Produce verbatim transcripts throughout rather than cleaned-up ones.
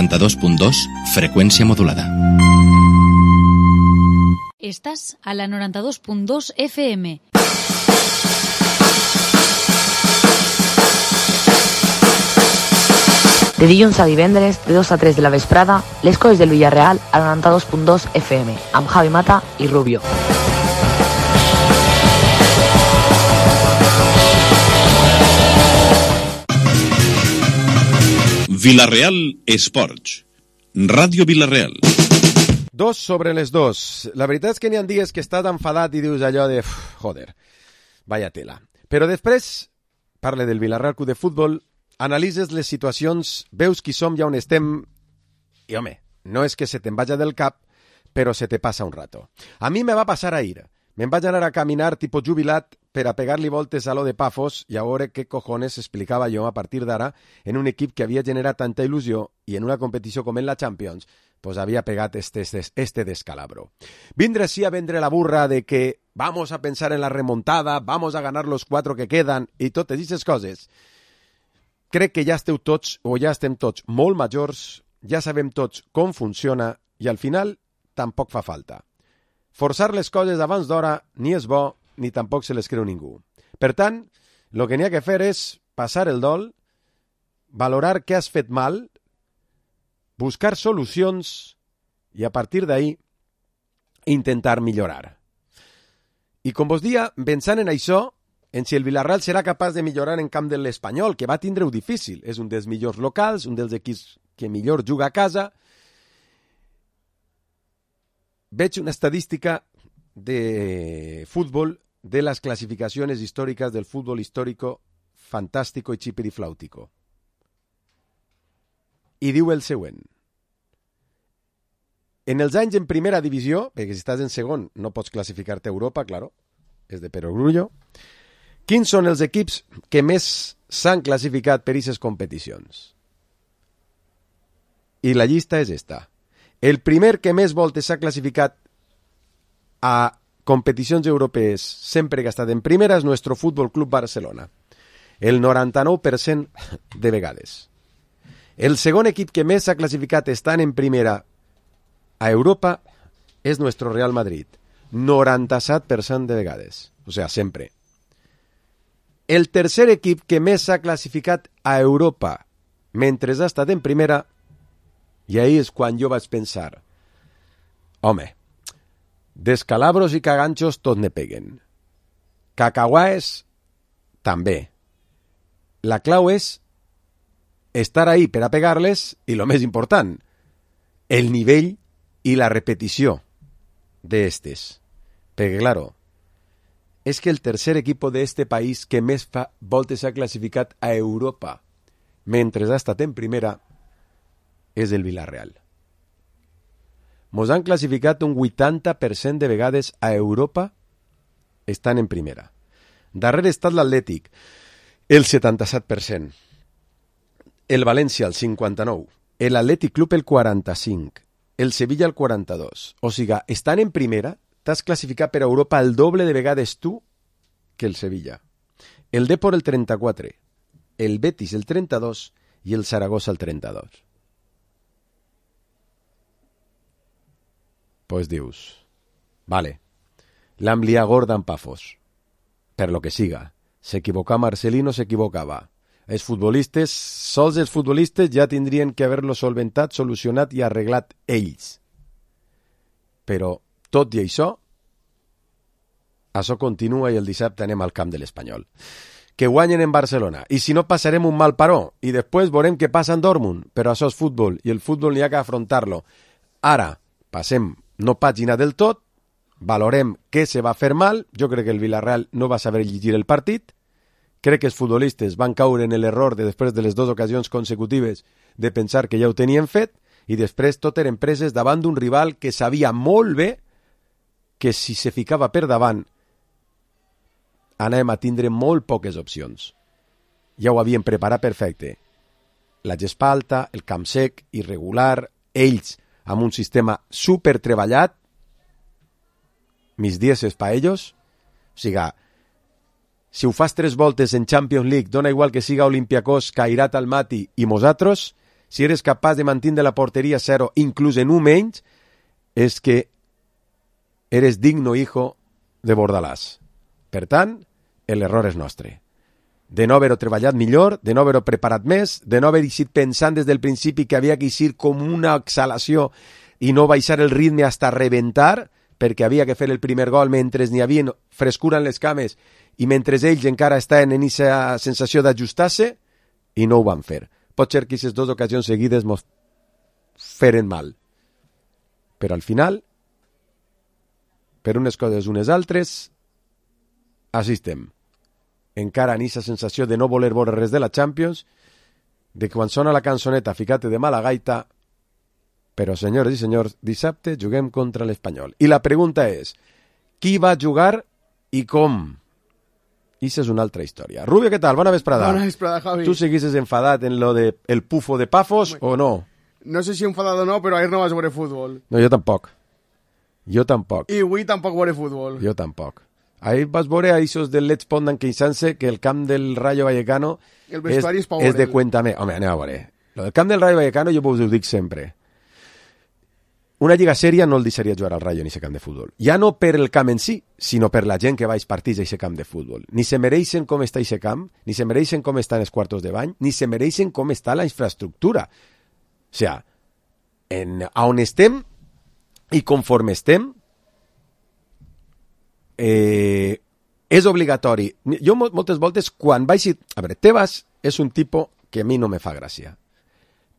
noranta-dos punt dos, freqüència modulada. Estàs a la noranta-dos punt dos F M. De dilluns a divendres, de dos a tres de la vesprada, les coses del Villarreal a la noranta-dos punt dos F M, amb Javi Mata i Rubio. Villarreal Esports. Ràdio Villarreal. Dos sobre les dos. La veritat és que n'hi ha dies que estàs enfadat i dius allò de... Joder, vaya tela. Però després, parle del Villarreal Club de Futbol, analitzes les situacions, veus qui som i on estem, i home, no és que se te'n vagi del cap, però se te passa un rato. A mi me va passar ahir. Me'n vaig anar a caminar tipus jubilat per a pegar-li voltes a lo de Pafos i a veure què cojones explicava jo a partir d'ara en un equip que havia generat tanta il·lusió i en una competició com en la Champions pues havia pegat este, este, este descalabro. Vindre sí a vendre la burra de que vamos a pensar en la remontada, vamos a ganar los cuatro que quedan i totes aquestes coses. Crec que ja esteu tots, o ja estem tots molt majors, ja sabem tots com funciona i al final tampoc fa falta. Forçar les coses abans d'hora ni és bo ni tampoc se les creu ningú. Per tant, el que n'hi ha que fer és passar el dol, valorar què has fet mal, buscar solucions i a partir d'ahí intentar millorar. I com vos dia, pensant en això, en si el Villarreal serà capaç de millorar en camp de l'Espanyol, que va tindre-ho difícil. És un dels millors locals, un dels equips que millor juga a casa. Veig una estadística de futbol de las clasificaciones históricas del fútbol histórico fantástico y chipirifláutico. I diu el següent. En els anys en primera divisió, perquè si estàs en segon no pots classificar-te a Europa, claro, és de perogrullo. Quins són els equips que més s'han classificat per aquestes competicions? I la llista és esta. El primer que més voltes s'ha classificat a competicions europees sempre que ha estat en primera és Nuestro Fútbol Club Barcelona. El noranta-nou per cent de vegades. El segon equip que més s'ha classificat estant en primera a Europa és Nuestro Real Madrid. noranta-set per cent de vegades. O sigui, sempre. El tercer equip que més s'ha classificat a Europa mentre ha estat en primera, i ahí és quan jo vaig pensar, home, descalabros i caganxos tot ne peguen. Cacahuaes també. La clau és estar ahí per a pegar-les i, lo més important, el nivell i la repetició d'estes. Perquè, claro, és que el tercer equip d'este país que més fa voltes s'ha classificat a Europa mentre ha estat en primera és el Villarreal. Mos han classificat un vuitanta per cent de vegades a Europa estan en primera. Darrere està l'Atlètic, el setanta-set per cent. El València, el cinquanta-nou. El Atlètic Club, el quaranta-cinc. El Sevilla, el quaranta-dos. O sigui, estan en primera, t'has classificat per a Europa el doble de vegades tu que el Sevilla. El Depor, el trenta-quatre. El Betis, el trenta-dos. I el Saragossa, el trenta-dos. Pues dius, vale, l'han liat gorda en Pafos, per lo que siga. S'equivocà Marcelino, s'equivocava. Els futbolistes, sols els futbolistes ja tindrien que haver-lo solventat, solucionat i arreglat ells. Però, tot i això, això continua i el dissabte anem al camp de l'Espanyol. Que guanyen en Barcelona. I si no, passarem un mal paró. I després veurem què passa en Dortmund. Però això és futbol, i el futbol n'hi ha que afrontar-lo. Ara, passem no pàgina del tot, valorem què se va fer mal. Jo crec que el Villarreal no va saber llegir el partit. Crec que els futbolistes van caure en l'error de després de les dues ocasions consecutives de pensar que ja ho tenien fet i després tot eren preses davant d'un rival que sabia molt bé que si se ficava per davant anàvem a tindre molt poques opcions. Ja ho havien preparat perfecte. La gespa alta, el camp sec, irregular, ells amb un sistema super treballat, mis dieces pa ellos. O sigui, si ho fas tres voltes en Champions League, dona igual que siga Olympiacos, Kairat Almaty i Mosatros, si eres capaç de mantenir la porteria a zero, inclús en un menys, és que eres digno hijo de Bordalàs. Per tant, l'error és nostre. De no haver-ho treballat millor, de no haver-ho preparat més, de no haver eixit pensant des del principi que havia que eixir com una exhalació i no baixar el ritme hasta reventar, perquè havia que fer el primer gol mentre n'hi havia frescura en les cames i mentre ells encara estaven en aquesta sensació d'ajustar-se, i no ho van fer. Pot ser que aquestes dues ocasions seguides mos feren mal. Però al final, per unes coses unes altres, així estem. Encara en aquesta sensació de no voler veure res de la Champions, de que quan sona la cançoneta ficate de mala gaita, però senyores i senyors, dissabte juguem contra l'Espanyol. I la pregunta és, qui va jugar i com? Issa és una altra història. Rubio, què tal? Bona vesprada. Bona vesprada, Javi. Tu seguisses enfadat en lo de el pufo de Pafos o no? No sé si enfadat o no, però ahir no vas veure futbol. No, jo tampoc. Jo tampoc. I avui tampoc veure futbol. Jo tampoc. Ahir vas veure a aquests del Let's Pondan queixant-se que el camp del Rayo Vallecano el vestuari és, és, és és de cuéntame. Home, anem a veure. Lo del camp del Rayo Vallecano jo us ho dic sempre. Una lliga sèria no el deixaria jugar al Rayo en aquest camp de futbol. Ja no per el camp en si, sinó per la gent que va als partits a aquest camp de futbol. Ni se mereixen com està aquest camp, ni se mereixen com estan els quartos de bany, ni se mereixen com està la infraestructura. O sea, en, a on estem i conforme estem, eh, és obligatori. Jo moltes voltes, quan vaig... A veure, Tebas és un tipus que a mi no me fa gràcia.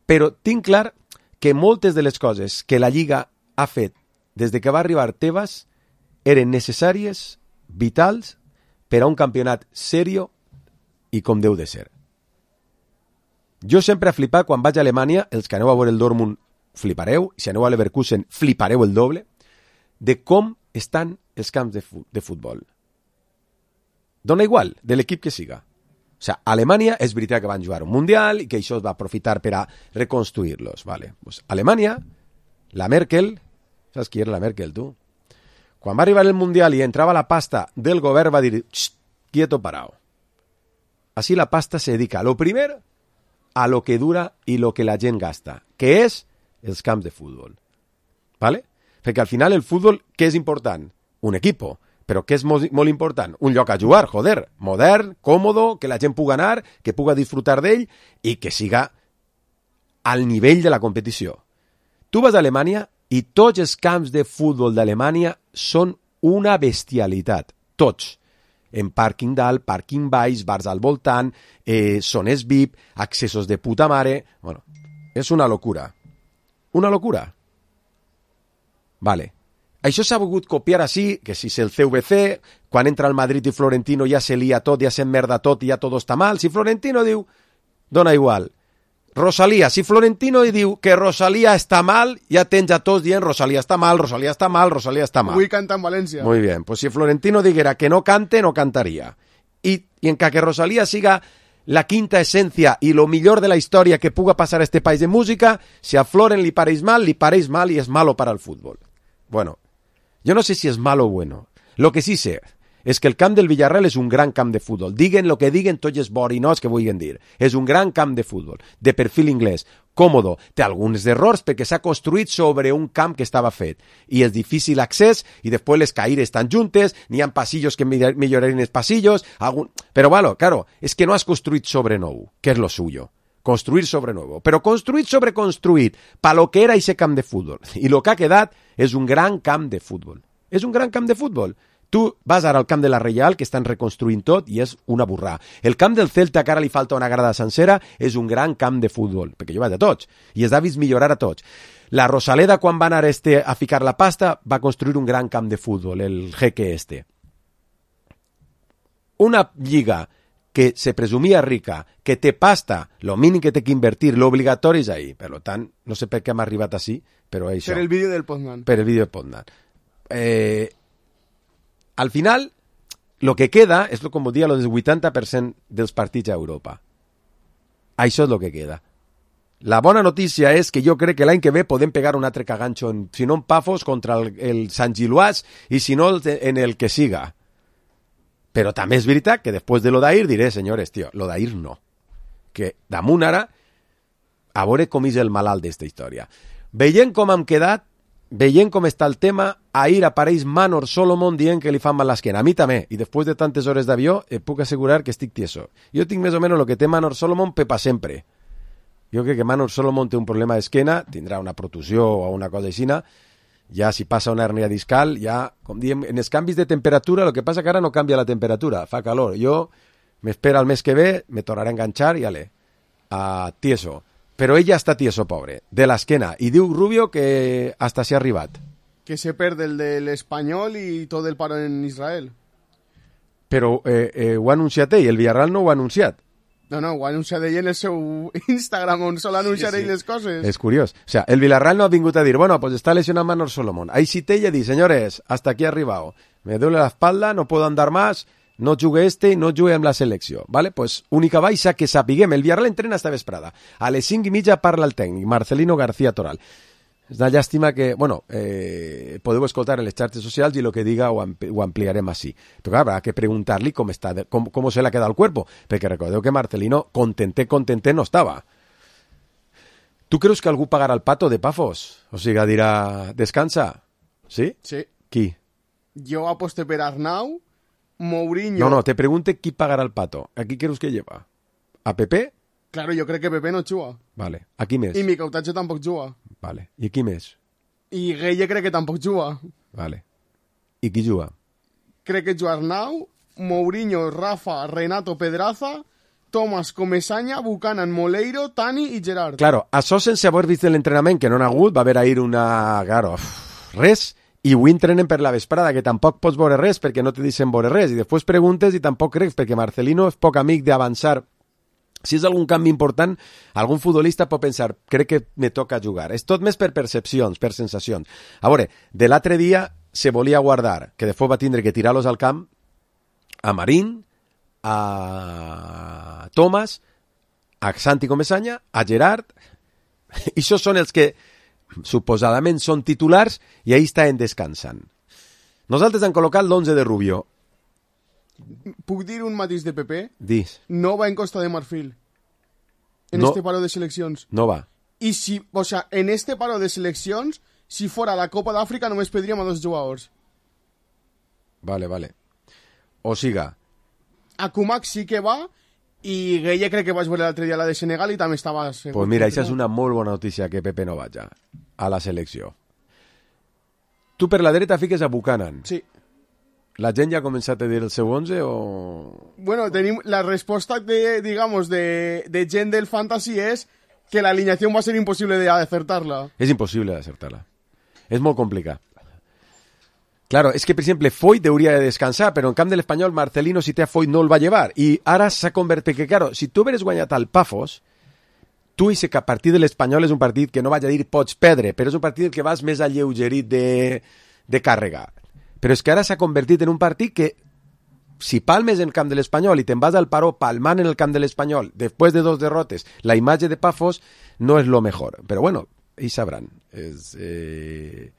Però tinc clar que moltes de les coses que la Lliga ha fet des de que va arribar Tebas eren necessàries, vitals, per a un campionat serio i com deu de ser. Jo sempre he flipat quan vaig a Alemanya, els que aneu a veure el Dortmund flipareu, si aneu a Leverkusen flipareu el doble, de com estan els camps de, fu- de futbol. Dona igual, de l'equip que siga. O sea, Alemanya és veritat que van jugar un Mundial i que això es va aprofitar per a reconstruir-los. Vale. Pues Alemanya, la Merkel, saps qui era la Merkel, tu? Quan va arribar el Mundial i entrava la pasta del govern, va dir, quieto parao. Así la pasta se dedica, a lo primer, a lo que dura i lo que la gent gasta, que és els camps de futbol. Vale? Perquè al final el futbol, què és important? Un equipo. Però què és molt, molt important? Un lloc a jugar, joder, modern, còmodo, que la gent pugui anar, que pugui disfrutar d'ell i que siga al nivell de la competició. Tu vas a Alemanya i tots els camps de futbol d'Alemanya són una bestialitat. Tots. En pàrquing dalt, pàrquing baix, bars al voltant, eh, zones V I P, accessos de puta mare... Bueno, és una locura. Una locura. Vale. Això s'ha volgut copiar així, que si és el C V C, quan entra el Madrid i Florentino ja se lia tot, ja s'emmerda tot i ja tot està mal. Si Florentino diu, dona igual. Rosalía, si Florentino diu que Rosalía està mal, ja tens a tots dient Rosalía està mal, Rosalía està mal, Rosalía està mal. Avui canta en València. Muy bien, pues si Florentino diguera que no cante, no cantaria. I, i en que Rosalía siga la quinta esencia i lo millor de la història que puga passar a este país de música, si a Floren li pareix mal, li pareix mal i és malo para el fútbol. Bueno, yo no sé si es malo o bueno. Lo que sí sé és que el camp del Villarreal és un gran camp de futbol. Diguen lo que diguen tots els borinós que vulguin dir. És un gran camp de futbol, de perfil inglès, còmodo. Té alguns errors perquè s'ha construït sobre un camp que estava fet. I és difícil accés i després les caires estan juntes, n'hi ha passillos que millorarien els passillos. Algun... Però, bueno, claro, és que no has construït sobre nou, que és lo suyo. Construir sobre nuevo, però construït sobre construït, pa lo que era ese camp de futbol. I lo que ha quedat és un gran camp de futbol. És un gran camp de futbol. Tu vas ara al camp de la Reial, que estan reconstruint tot, i és una burrà. El camp del Celta, que ara li falta una grada sencera, és un gran camp de futbol, perquè jo vaig a tots, i es ha vist millorar a tots. La Rosaleda, quan va anar este a ficar la pasta, va construir un gran camp de futbol, el jeque este. Una lliga que se presumia rica, que té pasta, lo mínim que té que invertir, l'obligatori és ahí. Per tant, no sé per què hem arribat així, però això. Per el vídeo del Poznan. Per el vídeo del Poznan. Eh, al final, lo que queda és, com ho dia, lo del vuitanta per cent dels partits a Europa. Això és lo que queda. La bona notícia és que jo crec que l'any que ve podem pegar un altre caganxo, en, si no en Pafos, contra el, el Sant Giluàs, i si no en el que siga. Però també és veritat que després de lo d'ahir diré, senyores, tio, lo d'ahir no. Que damunt ara, a veure com és el malalt d'esta història. Veient com hem quedat, veient com està el tema, ahir apareix Manor Solomon dient que li fan mal l'esquena. A mi també, i després de tantes hores d'avió, et puc assegurar que estic tieso. Jo tinc més o menys el que té Manor Solomon pepa sempre. Jo crec que Manor Solomon té un problema d'esquena, tindrà una protusió o una cosa així, ja si passa una hernia discal, ja, com diem, en els canvis de temperatura, el que passa que ara no canvia la temperatura, fa calor. Jo m'espera el mes que ve, me tornaré a enganxar i ale, a tieso. Però ella està tieso, pobre, de l'esquena. I diu Rubio que hasta s'ha arribat. Que se perde el del Espanyol i tot el paro en Israel. Però eh, eh, ho ha anunciat ell, el Villarreal no ho ha anunciat. No, no, ho ha anunciat ell en el seu Instagram, on sol anunciar sí, sí. ell les coses. És curiós. O sea, el Villarreal no ha vingut a dir, bueno, pues está lesionado Manor Solomon. Ahí sí te ella dice, señores, hasta aquí he arribado. Me duele la espalda, no puedo andar más, no jugue este, no jugue amb la selecció. Vale? Pues única baixa que sapiguem. El Villarreal entrena esta vesprada. A les cinc i mitja parla el tècnic, Marcelino García Toral. És una llàstima que, bueno, eh, podeu escoltar en les xarxes socials i el que diga ho, ampli ho ampliarem així. Però clar, habrá que preguntar-li com està, com, com se le ha quedado el cuerpo, perquè recordeu que Marcelino contenté, contenté no estava. Tu creus que algú pagarà el pato de Pafos? O sigui, dirà, descansa? Sí? Sí. Qui? Jo aposté per Arnau, Mourinho... No, no, te pregunte qui pagarà el pato. ¿A qui creus que lleva? ¿A Pepe? Claro, jo crec que Pepe no juga. Vale. ¿A qui més? I Micautache tampoc juga. Vale. I qui més? I Gueye crec que tampoc juga. Vale. I qui juga? Crec que juga Arnau, Mourinho, Rafa, Renato, Pedraza, Tomás, Comesaña, Buchanan, Moleiro, Tani i Gerard. Claro, això sense haver vist l'entrenament, que no n'ha hagut, va haver ahir una... Claro, res, i ho entrenen per la vesprada, que tampoc pots veure res perquè no te deixen veure res, i després preguntes i tampoc creus, perquè Marcelino és poc amic d'avançar. Si és algun canvi important, algun futbolista pot pensar, crec que me toca jugar. És tot més per percepcions, per sensacions. A veure, de l'altre dia se volia guardar, que després va tindre que tirar-los al camp, a Marín, a Tomàs, a Santi Comesaña, a Gerard, i això són els que suposadament són titulars i ahí estan descansant. Nosaltres hem col·locat l'onze de Rubio. Puc dir un matís de Pepe? Dis. No va en Costa de Marfil. En no, este paro de seleccions. No va. Y si, o sea, en este paro de seleccions, si fora la Copa d'Àfrica només pedríem a dos jugadors. Vale, vale. O siga. Akumak sí que va i Gueye crec que vaig veure l'altre dia la de Senegal i també estava segur. Pues mira, això és una molt bona notícia que Pepe no vaja a la selecció. Tu per la dreta fiques a Buchanan. Sí. La gent ja ha començat a dir el seu onze o... Bueno, tenim la resposta de, digamos, de, de gent del fantasy és que la alineación va a ser imposible de acertarla. És impossible d'acertar-la. És molt complicat. Claro, és que, per exemple, Foyt hauria de descansar, però en camp de l'Espanyol, Marcelino, si té a Foyt, no el va llevar. I ara s'ha convertit que, claro, si tu hubieres guanyat al Pafos, tu i que a partir de l'Espanyol és un partit que no vaig a dir pots perdre, però és un partit que vas més alleugerit de, de càrrega. Però és que ara s'ha convertit en un partit que, si palmes en el camp de l'Espanyol i te'n vas al paró palmant en el camp de l'Espanyol, després de dos derrotes, la imatge de Pafos no és lo mejor. Però bueno, ells sabran. És, eh,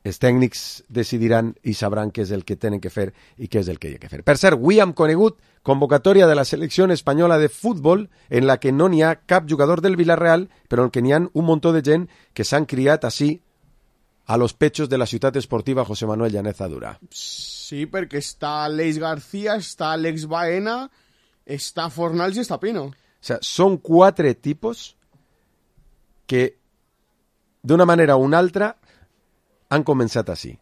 els tècnics decidiran i sabran què és el que tenen que fer i què és el que hi ha que fer. Per cert, avui hem conegut convocatòria de la selecció espanyola de futbol en la que no n'hi ha cap jugador del Villarreal, però en què n'hi ha un muntó de gent que s'han criat així a los pechos de la ciutat esportiva José Manuel Llaneza Dura. Sí, perquè està Leis García, està Alex Baena, està Fornals i està Pino. O sea, són quatre tipos que d'una manera o una altra han començat així.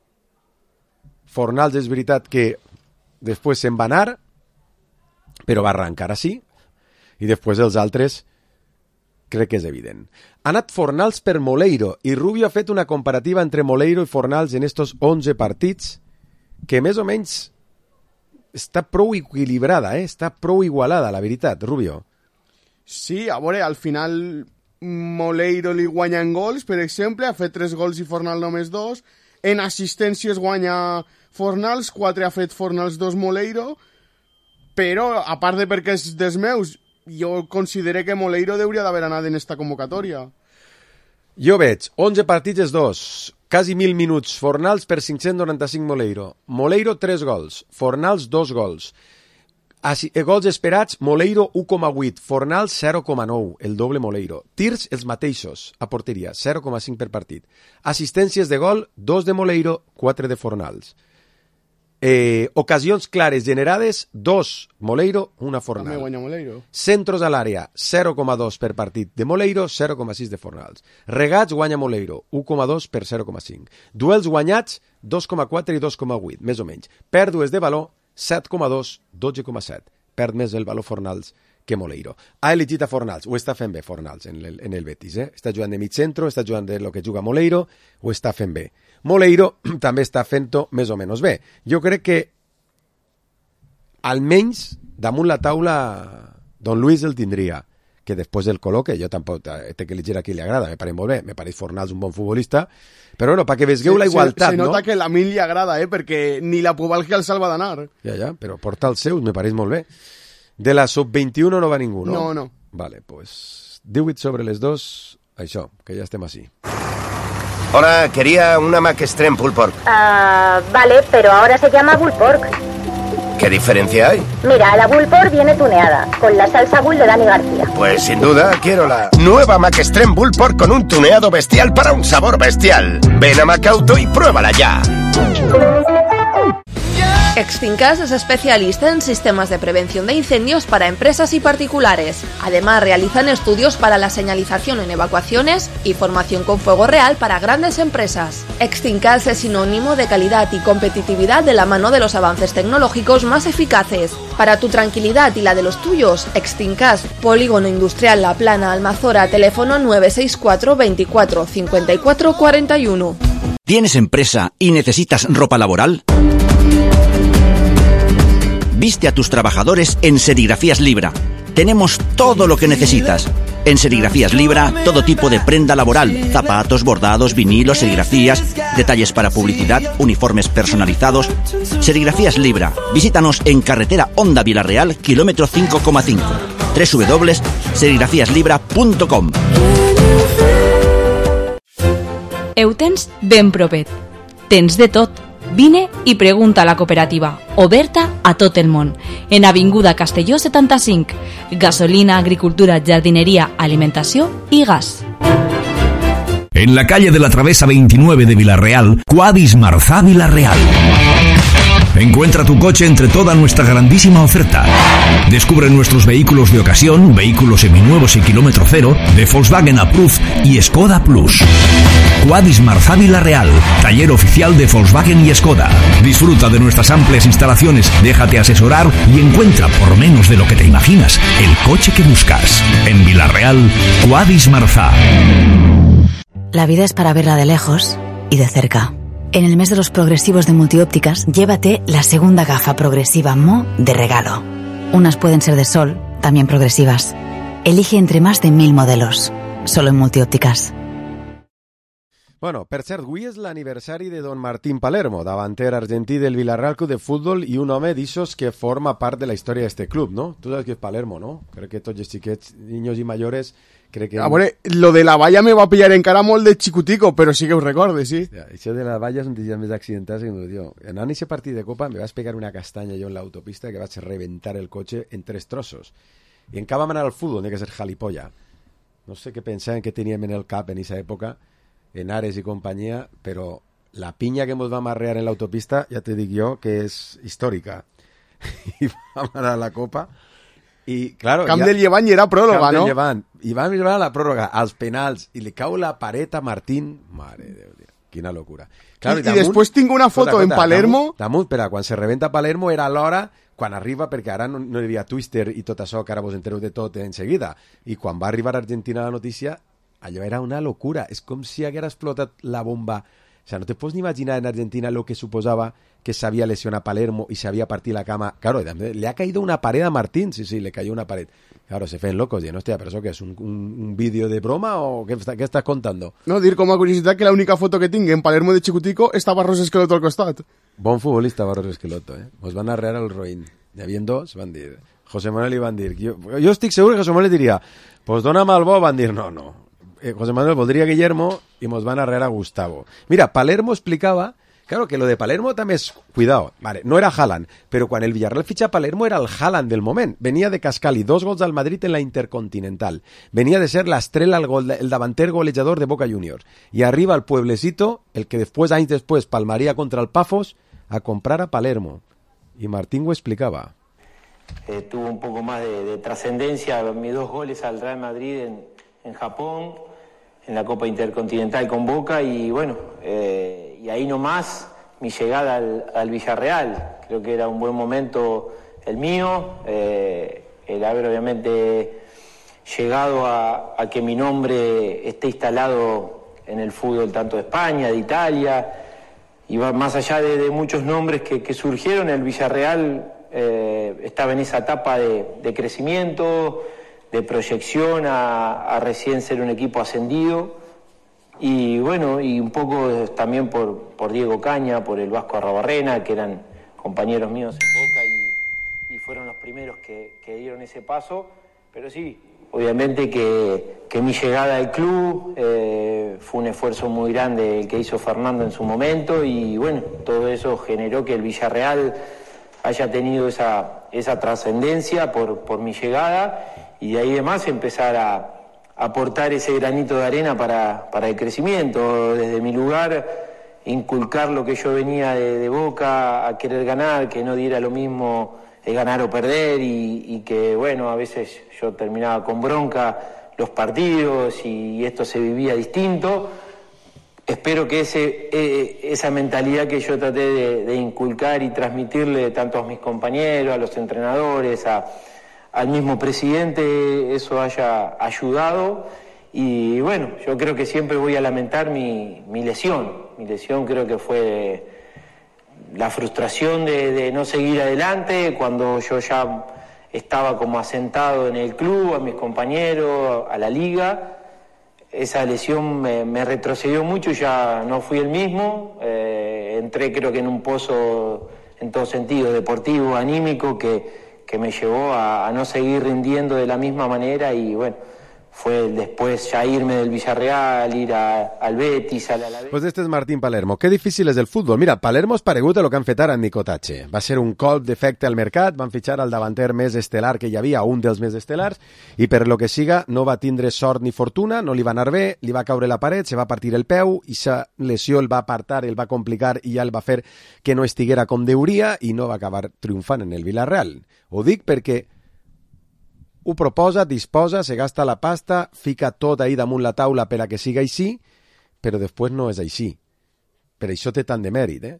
Fornals és veritat que després se'n va anar, però va arrencar així, i després els altres crec que és evident. Ha anat Fornals per Moleiro, i Rubio ha fet una comparativa entre Moleiro i Fornals en estos onze partits, que més o menys està prou equilibrada, eh? Està prou igualada, la veritat, Rubio. Sí, a veure, al final Moleiro li guanya en gols, per exemple, ha fet tres gols i Fornals només dos, en assistències guanya Fornals, quatre ha fet Fornals, dos Moleiro, però, a part de perquè és dels meus, jo considero que Moleiro hauria d'haver anat en esta convocatòria. Jo veig onze partits és dos, quasi mil minuts, Fornals per cinc-cents noranta-cinc Moleiro. Moleiro tres gols, Fornals dos gols. Així, gols esperats, Moleiro u coma vuit, Fornals zero coma nou, el doble Moleiro. Tirs els mateixos, a porteria, zero coma cinc per partit. Assistències de gol, dos de Moleiro, quatre de Fornals. Eh, ocasions clares generades, dos Moleiro, una Fornals. També guanya Moleiro. Centros a l'àrea, zero coma dos per partit de Moleiro, zero coma sis de Fornals. Regats guanya Moleiro, u coma dos per zero coma cinc. Duels guanyats, dos coma quatre i dos coma vuit, més o menys. Pèrdues de valor, set coma dos, dotze coma set. Perd més el valor Fornals que Moleiro. Ha elegit a Fornals, ho està fent bé Fornals en el, en el Betis, eh? Està jugant de mig centro, està jugant de lo que juga Moleiro, ho està fent bé. Moleiro també està fent-ho més o menys bé. Jo crec que almenys damunt la taula Don Luis el tindria, que després el col·loque, jo tampoc té que elegir a qui li agrada, me pareix molt bé, me pareix Fornals un bon futbolista, però bueno, perquè veigueu la igualtat, se, se no? Se nota que a l'Amil li agrada, eh? Perquè ni la Pubalgia el salva d'anar. Ja, ja, però porta els seus, me pareix molt bé. De la sub veintiuno no va ningú, no? No, no. Vale, pues divuit sobre les dos, això, que ja estem així. Hola, quería una Mac Extreme Pulled Pork. Ah, vale, pero ahora se llama Bull Pork. ¿Qué diferencia hay? Mira, la Bull Pork viene tuneada, con la salsa Bull de Dani García. Pues sin duda quiero la nueva Mac Extreme Bull Pork con un tuneado bestial para un sabor bestial. Ven a Macauto y pruébala ya. Extincas es especialista en sistemas de prevención de incendios para empresas y particulares. Además, realizan estudios para la señalización en evacuaciones y formación con fuego real para grandes empresas. Extincas es sinónimo de calidad y competitividad de la mano de los avances tecnológicos más eficaces. Para tu tranquilidad y la de los tuyos, Extincas, Polígono Industrial La Plana, Almazora, teléfono nueve seis cuatro veinticuatro cincuenta y cuatro cuarenta y uno. ¿Tienes empresa y necesitas ropa laboral? Viste a tus trabajadores en Serigrafías Libra. Tenemos todo lo que necesitas. En Serigrafías Libra, todo tipo de prenda laboral, zapatos, bordados, vinilos, serigrafías, detalles para publicidad, uniformes personalizados. Serigrafías Libra. Visítanos en carretera Honda Vilarreal, kilómetro cinco coma cinco. doble u doble u doble u punto serigrafías libra punto com. Ho tens ben propet. Tens de tot. Vine i pregunta a la cooperativa, oberta a tot el món, en Avinguda Castelló setanta-cinc, gasolina, agricultura, jardineria, alimentació i gas. En la calle de la Travesa veintinueve de Vilarreal, Quadis Marzá Vilarreal. Encuentra tu coche entre toda nuestra grandísima oferta. Descubre nuestros vehículos de ocasión, vehículos seminuevos y kilómetro cero, de Volkswagen Approved y Skoda Plus. Quadis Marzá Vilarreal, taller oficial de Volkswagen y Skoda. Disfruta de nuestras amplias instalaciones, déjate asesorar y encuentra por menos de lo que te imaginas el coche que buscas. En Vilarreal, Quadis Marzá. La vida es para verla de lejos y de cerca. En el mes de los progresivos de Multiópticas, llévate la segunda gafa progresiva Mo de regalo. Unas pueden ser de sol, también progresivas. Elige entre más de mil modelos. Solo en Multiópticas. Bueno, per cert, avui és l'aniversari de Don Martín Palermo, davanter argentí del Villarreal Club de Futbol i un home d'ixos que forma part de la història d'este club, no? Tu saps que és Palermo, no? Crec que tots els xiquets, niños i mayores, crec que... A veure, lo de la valla me va pillar encara molt de xicutico, però sí que ho recorde, sí. Ja, això de la valla és un dia més accidentats que jo. Anant a aquest partit de Copa me vas pegar una castanya jo en l'autopista que vaig reventar el cotxe en tres trossos. I en cap vam anar al futbol, n'hi ha que ser jalipolla. No sé què pensaven que teníem en el cap en aquesta època, en Ares i companyia, però la pinya que ens vam arrear en l'autopista, ja te dic jo, que és històrica. I vam anar a la Copa i, claro... Camp ja, del Llevant i era pròrroga, Camp no? Del Llevant. I vam arribar a la pròrroga, als penals, i li cau la paret a Martín. Mare de Déu, quina locura. Claro, I, i, damunt, i després tinc una foto cota, cota, en Palermo... Damunt, damunt, però quan se rebenta Palermo era l'hora quan arriba, perquè ara no, no hi havia Twister i tot això, que ara vos entereu de tot en seguida. I quan va arribar a Argentina la notícia, allò era una locura. És com si haguera explotat la bomba. O sea, no te pots ni imaginar en Argentina lo que suposava que s'havia lesionat Palermo i s'havia partit la cama. Claro, le ha caído una pared a Martín. Sí, sí, le cayó una pared. Claro, se feien locos. Y no, hostia, ¿pero eso qué es? ¿Un, un, un vídeo de broma o qué, qué estás contando? No, dir com a curiositat que l'única foto que tinc en Palermo de xicutico està Barros Esqueloto al costat. Bon futbolista Barros Esqueloto, eh? Us van arrear el roïn. Hi havia dos, van dir... José Manuel li van dir... Jo, jo estic segur que José Manuel diria pues dona'm el bo, van dir no, no. Eh, José Manuel voldria Guillermo i mos van arrear a Gustavo. Mira, Palermo explicava Claro que lo de Palermo també és... Cuidado, vale, no era Haaland, però quan el Villarreal fitxa a Palermo era el Haaland del moment. Venia de cascar-li dos gols al Madrid en la Intercontinental. Venia de ser l'estrella, el, gol, el davanter golejador de Boca Juniors. I arriba al pueblecito, el que després, anys després, palmaria contra el Pafos, a comprar a Palermo. Y Martín lo explicaba. Eh, tuvo un poco más de, de trascendencia mis dos goles al Real Madrid en, en Japón, en la Copa Intercontinental con Boca, y bueno, eh, y ahí nomás mi llegada al, al Villarreal. Creo que era un buen momento el mío, eh, el haber obviamente llegado a, a que mi nombre esté instalado en el fútbol tanto de España, de Italia, y va más allá de, de muchos nombres que, que surgieron, el Villarreal eh, estaba en esa etapa de, de crecimiento, de proyección a, a recién ser un equipo ascendido, y bueno, y un poco también por, por Diego Caña, por el Vasco Arrabarrena, que eran compañeros míos en Boca y, y fueron los primeros que, que dieron ese paso, pero sí, obviamente que, que mi llegada al club eh, fue un esfuerzo muy grande el que hizo Fernando en su momento, y bueno, todo eso generó que el Villarreal haya tenido esa, esa trascendencia por, por mi llegada, y de ahí demás empezar a, a aportar ese granito de arena para, para el crecimiento. Desde mi lugar, inculcar lo que yo venía de, de Boca, a querer ganar, que no diera lo mismo de ganar o perder, y, y que bueno, a veces yo terminaba con bronca los partidos y esto se vivía distinto. Espero que ese, eh, esa mentalidad que yo traté de, de inculcar y transmitirle tanto a mis compañeros, a los entrenadores, a, al mismo presidente, eso haya ayudado. Y bueno, yo creo que siempre voy a lamentar mi, mi lesión. Mi lesión creo que fue la frustración de, de no seguir adelante cuando yo ya estaba como asentado en el club, a mis compañeros, a la liga. Esa lesión me, me retrocedió mucho, ya no fui el mismo. Eh, entré creo que en un pozo en todo sentido, deportivo, anímico, que, que me llevó a, a no seguir rindiendo de la misma manera, y bueno, fue después ya irme del Villarreal, ir a, al Betis, al Alavés. Pues este és Martín Palermo. Que difícil és el futbol. Mira, Palermo és paregut a lo que han fet ara en Nicotache. Va ser un colp d'efecte al mercat, van fitxar el davanter més estel·lar que hi havia, un dels més estel·lars, i per lo que siga no va tindre sort ni fortuna, no li va anar bé, li va caure la paret, se va partir el peu, i sa lesió el va apartar, el va complicar i ja el va fer que no estiguera com deuria, i no va acabar triomfant en el Villarreal. Ho dic perquè ho proposa, disposa, se gasta la pasta, fica tot ahí damunt la taula per a que siga així, però després no és així. Per això té tant de mèrit, eh?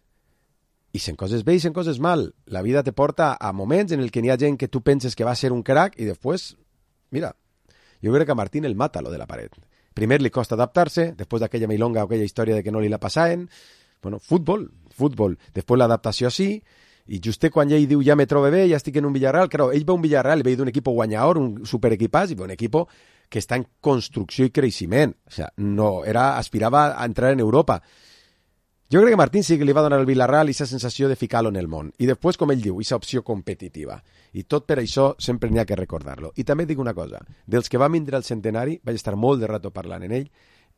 I sent coses bé i sent coses mal. La vida te porta a moments en el que n'hi ha gent que tu penses que va ser un crack i després, mira, jo crec que a Martín el mata lo de la paret. Primer li costa adaptar-se, després d'aquella milonga o aquella història de que no li la passaven. Bueno, futbol, futbol. Després l'adaptació sí, i just quan ell diu ja me trobo bé, ja estic en un Villarreal, claro, ell ve un Villarreal, ve d'un equip guanyador, un superequipàs, i ve un equip que està en construcció i creixement. O sea, no, era, aspirava a entrar en Europa. Jo crec que Martín sí que li va donar al Villarreal aquesta sensació de ficar-lo en el món. I després, com ell diu, aquesta opció competitiva. I tot per això sempre n'hi ha que recordar-lo. I també dic una cosa, dels que va vindre al centenari, vaig estar molt de rato parlant en ell,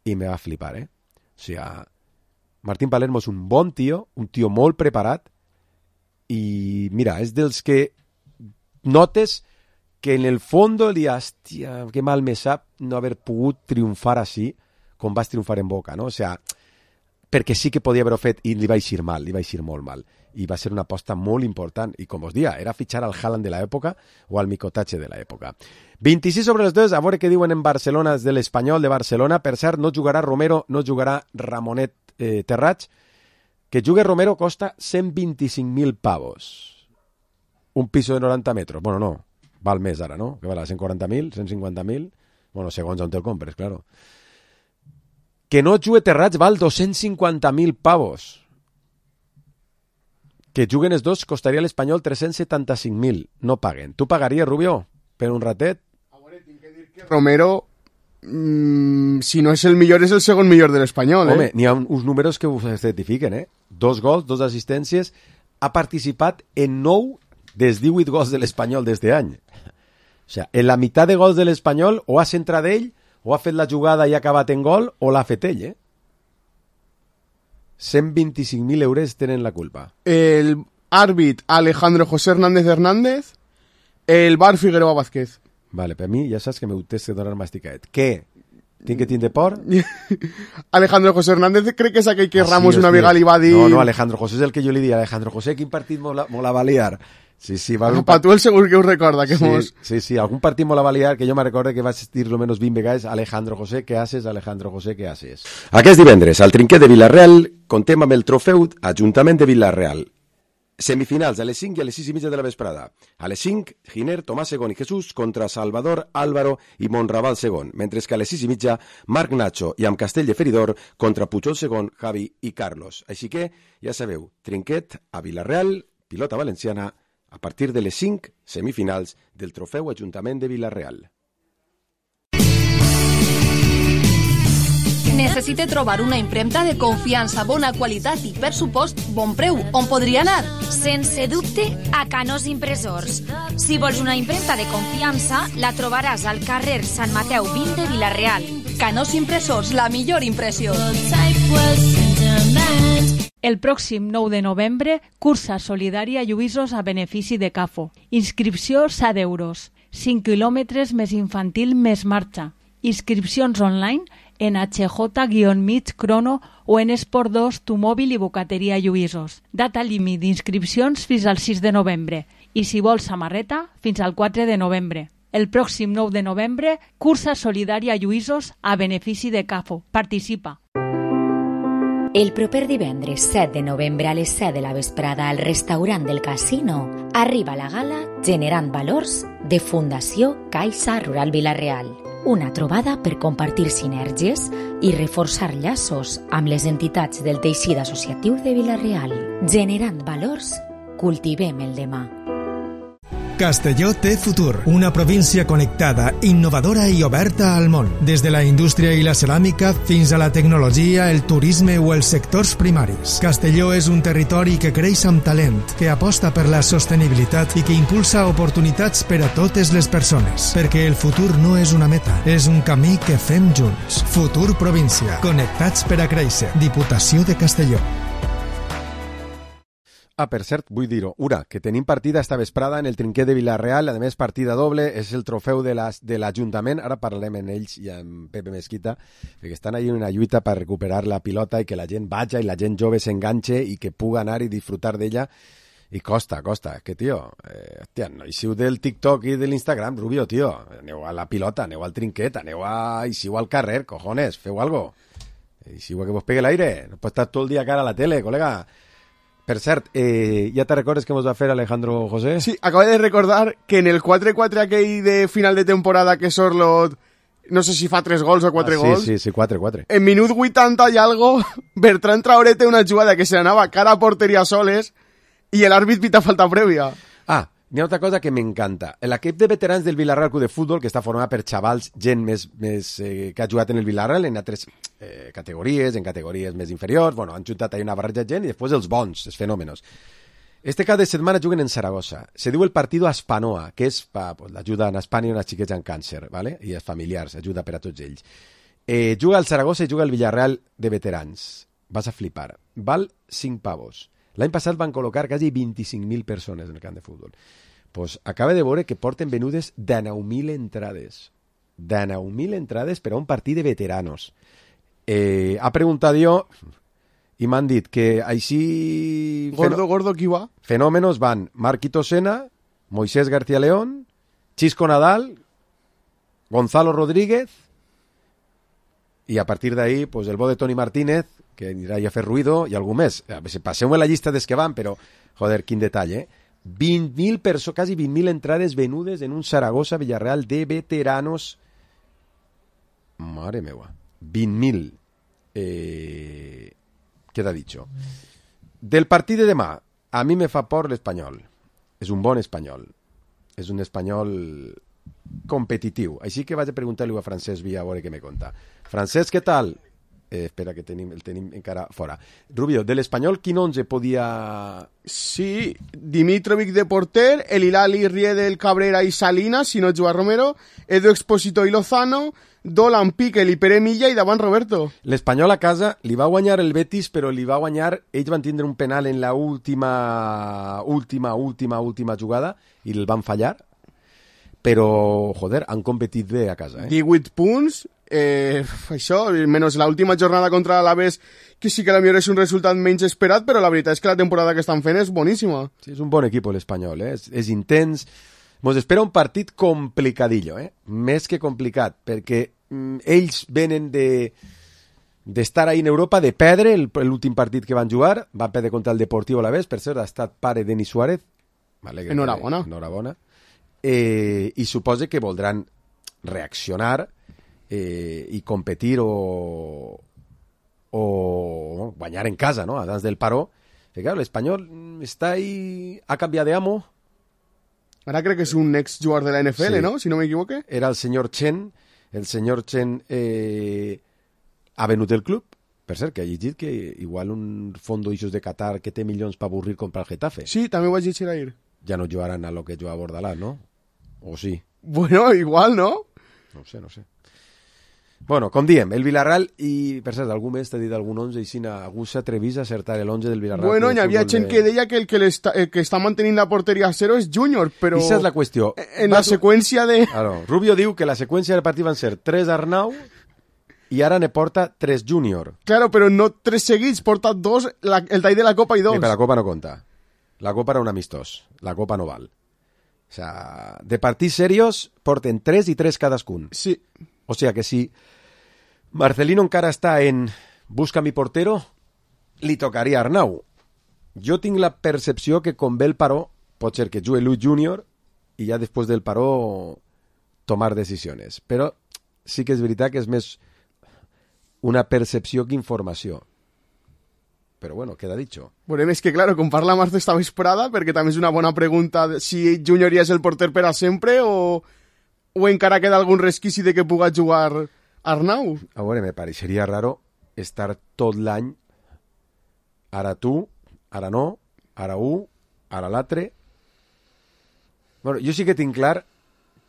i me va flipar, eh? O sigui, Martín Palermo és un bon tio, un tio molt preparat, i mira, és dels que notes que en el fondo li hòstia, que mal me sap no haver pogut triomfar així com vas triomfar en Boca, no? O sea, perquè sí que podia haver-ho fet i li va eixir mal, li va eixir molt mal. I va ser una aposta molt important. I com us dia, era fitxar al Haaland de l'època o al Nicotache de l'època. vint-i-sis sobre les dues, a veure què diuen en Barcelona de l'Espanyol de Barcelona. Per cert, no jugarà Romero, no jugarà Ramonet eh, Terrats. Que jugue Romero costa cent vint-i-cinc mil pavos. Un piso de noranta metres. Bueno, no, val més ara, no? Que val a cent quaranta mil, cent cinquanta mil? Bueno, segons on te'l compres, claro. Que no jugue Terrats val dos-cents cinquanta mil pavos. Que juguen els dos costaria a l'Espanyol tres-cents setanta-cinc mil. No paguen. Tu pagaries, Rubio, per un ratet? A veure, tinc que dir que Romero... Mm, si no és el millor, és el segon millor de l'Espanyol. Home, eh? n'hi ha uns números que ho certifiquen, eh? Dos gols, dos assistències, ha participat en nou dels divuit gols de l'Espanyol d'este any. O sigui, en la meitat de gols de l'Espanyol o ha centrat ell, o ha fet la jugada i ha acabat en gol, o l'ha fet ell, eh? cent vint-i-cinc mil euros tenen la culpa. El àrbit Alejandro José Hernández Hernández, el bar Figueroa Vázquez. Vale, per mi ja saps que m'ho tens que donar masticaet. Què? Tinc que tindre por? Alejandro José Hernández crec que és aquell que ah, Ramos sí, una hòstia. vegada li va dir... No, no, Alejandro José és el que jo li dic. Alejandro José, quin partit mo la, mo la va liar? Sí, sí, va ah, pa tu el segur que us recorda que sí, mos... Sí, sí, algun partit mo la va liar que jo me recorde que vaig dir lo menos vint vegades Alejandro José, què haces? Alejandro José, què haces? Aquest divendres, al trinquet de Villarreal, contem amb el trofeu Ajuntament de Villarreal. Semifinals a les cinc i a les sis i mitja de la vesprada. A les cinc, Giner, Tomàs segon i Jesús contra Salvador, Álvaro i Monraval segon, mentre que a les sis i mitja, Marc Nacho i amb Castell de Feridor contra Pujol segon, Javi i Carlos. Així que, ja sabeu, trinquet a Villarreal, pilota valenciana, a partir de les cinc, semifinals del trofeu Ajuntament de Villarreal. Necessite trobar una impremta de confiança, bona qualitat i, per supost, bon preu. On podria anar? Sense dubte, a Canós Impressors. Si vols una impremta de confiança, la trobaràs al carrer Sant Mateu vint de Vila-real. Canós Impressors, la millor impressió. El pròxim nou de novembre, cursa solidària Lluïsos a benefici de CAFO. Inscripció set euros. cinc quilòmetres més infantil més marxa. Inscripcions online en H J mig Crono o en Esport dos, Tu Mòbil i Bocateria Lluïsos. Data límit d'inscripcions fins al sis de novembre i si vols samarreta, fins al quatre de novembre. El pròxim nou de novembre, cursa solidària Lluïsos a benefici de CAFO. Participa. El proper divendres set de novembre a les set de la vesprada al restaurant del Casino arriba la gala Generant Valors de Fundació Caixa Rural Vila-real. Una trobada per compartir sinergies i reforçar llaços amb les entitats del teixit associatiu de Vila-real. Generant valors, cultivem el demà. Castelló té futur, una província connectada, innovadora i oberta al món. Des de la indústria i la ceràmica fins a la tecnologia, el turisme o els sectors primaris. Castelló és un territori que creix amb talent, que aposta per la sostenibilitat i que impulsa oportunitats per a totes les persones. Perquè el futur no és una meta, és un camí que fem junts. Futur província, connectats per a créixer. Diputació de Castelló. Ah, per cert, vull dir-ho. Ura, que tenim partida esta vesprada en el trinquet de Villarreal, a més partida doble, és el trofeu de l'Ajuntament, ara parlem amb ells i amb Pepe Mesquita, perquè estan ahí en una lluita per recuperar la pilota i que la gent vaja i la gent jove s'enganxe i que puga anar i disfrutar d'ella, i costa, costa, que tio, eh, hòstia, no eixiu del TikTok i de l'Instagram, Rubio, tio, aneu a la pilota, aneu al trinquet, aneu a... eixiu al carrer, cojones, feu algo, eixiu a que vos pegue l'aire, no pot estar tot el dia cara a la tele, col·lega. Per cert, eh, ja te recordes que ens va fer Alejandro José? Sí, acabo de recordar que en el quatre quatre aquell de final de temporada que Sorlot, no sé si fa tres gols o quatre ah, sí, gols. Sí, sí, quatre quatre. En minut vuitanta i algo, Bertran Traoré té una jugada que se anava cara a porteria soles i l'àrbit pita falta prèvia. Ah, hi ha altra cosa que m'encanta. L'equip de veterans del Villarreal Club de Futbol, que està format per xavals, gent més, més eh, que ha jugat en el Villarreal en altres eh, categories, en categories més inferiors, bueno, han juntat ahí una barreja de gent i després els bons, els fenòmenos. Este cap de setmana juguen en Saragossa. Se diu el Partido Aspanoa, que és pa, pues, l'ajuda en Espanya a unes xiquets amb càncer, ¿vale? I els familiars, ajuda per a tots ells. Eh, juga al Saragossa i juga al Villarreal de veterans. Vas a flipar. Val cinc pavos. L'any passat van col·locar quasi vint-i-cinc mil persones en el camp de futbol. Pues acaba de veure que porten venudes dinou mil entrades. dinou mil entrades per a un partit de veteranos. Eh, ha preguntat jo i m'han dit que així... Gordo, gordo, qui va? Fenòmenos van Marquito Sena, Moisés García León, Chisco Nadal, Gonzalo Rodríguez i a partir d'ahí pues, el bo de Toni Martínez, que anirà a fer ruido, i algú més. Passeu la llista des que van, però, joder, quin detall, eh? vint mil persones, quasi vint mil entrades venudes en un Zaragoza Villarreal de veteranos. Madre meva. vint mil. Eh, queda dicho. Del partit de demà, a mi me fa por l'Espanyol. És un bon espanyol. És un espanyol competitiu. Així que vaig a preguntar-li a Francesc Villa a veure què me conta. Francesc, què tal? Eh, espera, que tenim, el tenim encara fora. Rubio, de l'Espanyol, quin onze podia... Sí, Dimitrovic de porter, el Hilali, Riedel, Cabrera i Salinas, si no juga Romero, Edu Expósito i Lozano, Dolan, Piquel i Pere Milla i davant Roberto. L'Espanyol a casa li va guanyar el Betis, però li va guanyar... Ells van tindre un penal en la última, última, última, última jugada i el van fallar, però, joder, han competit bé a casa, eh? divuit punts, eh, això, menys l'última jornada contra l'Alaves, que sí que la millor és un resultat menys esperat, però la veritat és que la temporada que estan fent és boníssima. Sí, és un bon equip l'Espanyol, eh? És, és intens. Mos espera un partit complicadillo, eh? Més que complicat, perquè mm, ells venen de d'estar ahí en Europa, de perdre l'últim partit que van jugar, van perdre contra el Deportivo Alavés, per cert, ha estat pare Denis Suárez. Enhorabona. Enhorabona. Eh, i suposa que voldran reaccionar eh, i competir o, o guanyar en casa, ¿no? Abans del paró. Que, claro, l'Espanyol està ahí, ha canviat de amo. Ara crec que és un ex jugador de la N F L, sí. ¿No? Si no m'equivoque. Era el senyor Chen. El senyor Chen eh, ha venut el club. Per cert, que ha llegit que igual un fondo d'ixos de Qatar que té milions per avorrir comprar el Getafe. Sí, també ho vaig llegir ahir. Ja no jugaran a lo que juga Bordalás, ¿no? O sí? Bueno, igual, ¿no? No sé, no sé. Bueno, com diem, el Villarreal, i per cert, algú més t'ha dit algun onze, i si algú s'atrevís a acertar l'onze del Villarreal. Bueno, hi havia gent de... que deia que el que, el que està mantenint la porteria a zero és Júnior, però... Esa és la qüestió. En la seqüència de... Claro, Rubio diu que la seqüència del partit van ser tres Arnau i ara ne porta tres Júnior. Claro, però no tres seguits, porta dos, la, el tall de la Copa i dos. Sí, però la Copa no compta. La Copa era un amistós. La Copa no val. O sea, de partits serios porten tres i tres cadascun. Sí. O sea que si Marcelino encara està en busca mi portero, li tocaria a Arnau. Jo tinc la percepció que com ve el paró, pot ser que jugui Luis Júnior i ja després del paró tomar decisions. Però sí que és veritat que és més una percepció que informació. Però bueno, queda dicho. Bueno, és que, claro, com parla Marta esta vesprada, perquè també és una bona pregunta si Júnior ja és el porter per a sempre o, o encara queda algun resquici de que puga jugar Arnau. A veure, me pareixeria raro estar tot l'any ara tu, ara no, ara un, ara l'altre. Bueno, jo sí que tinc clar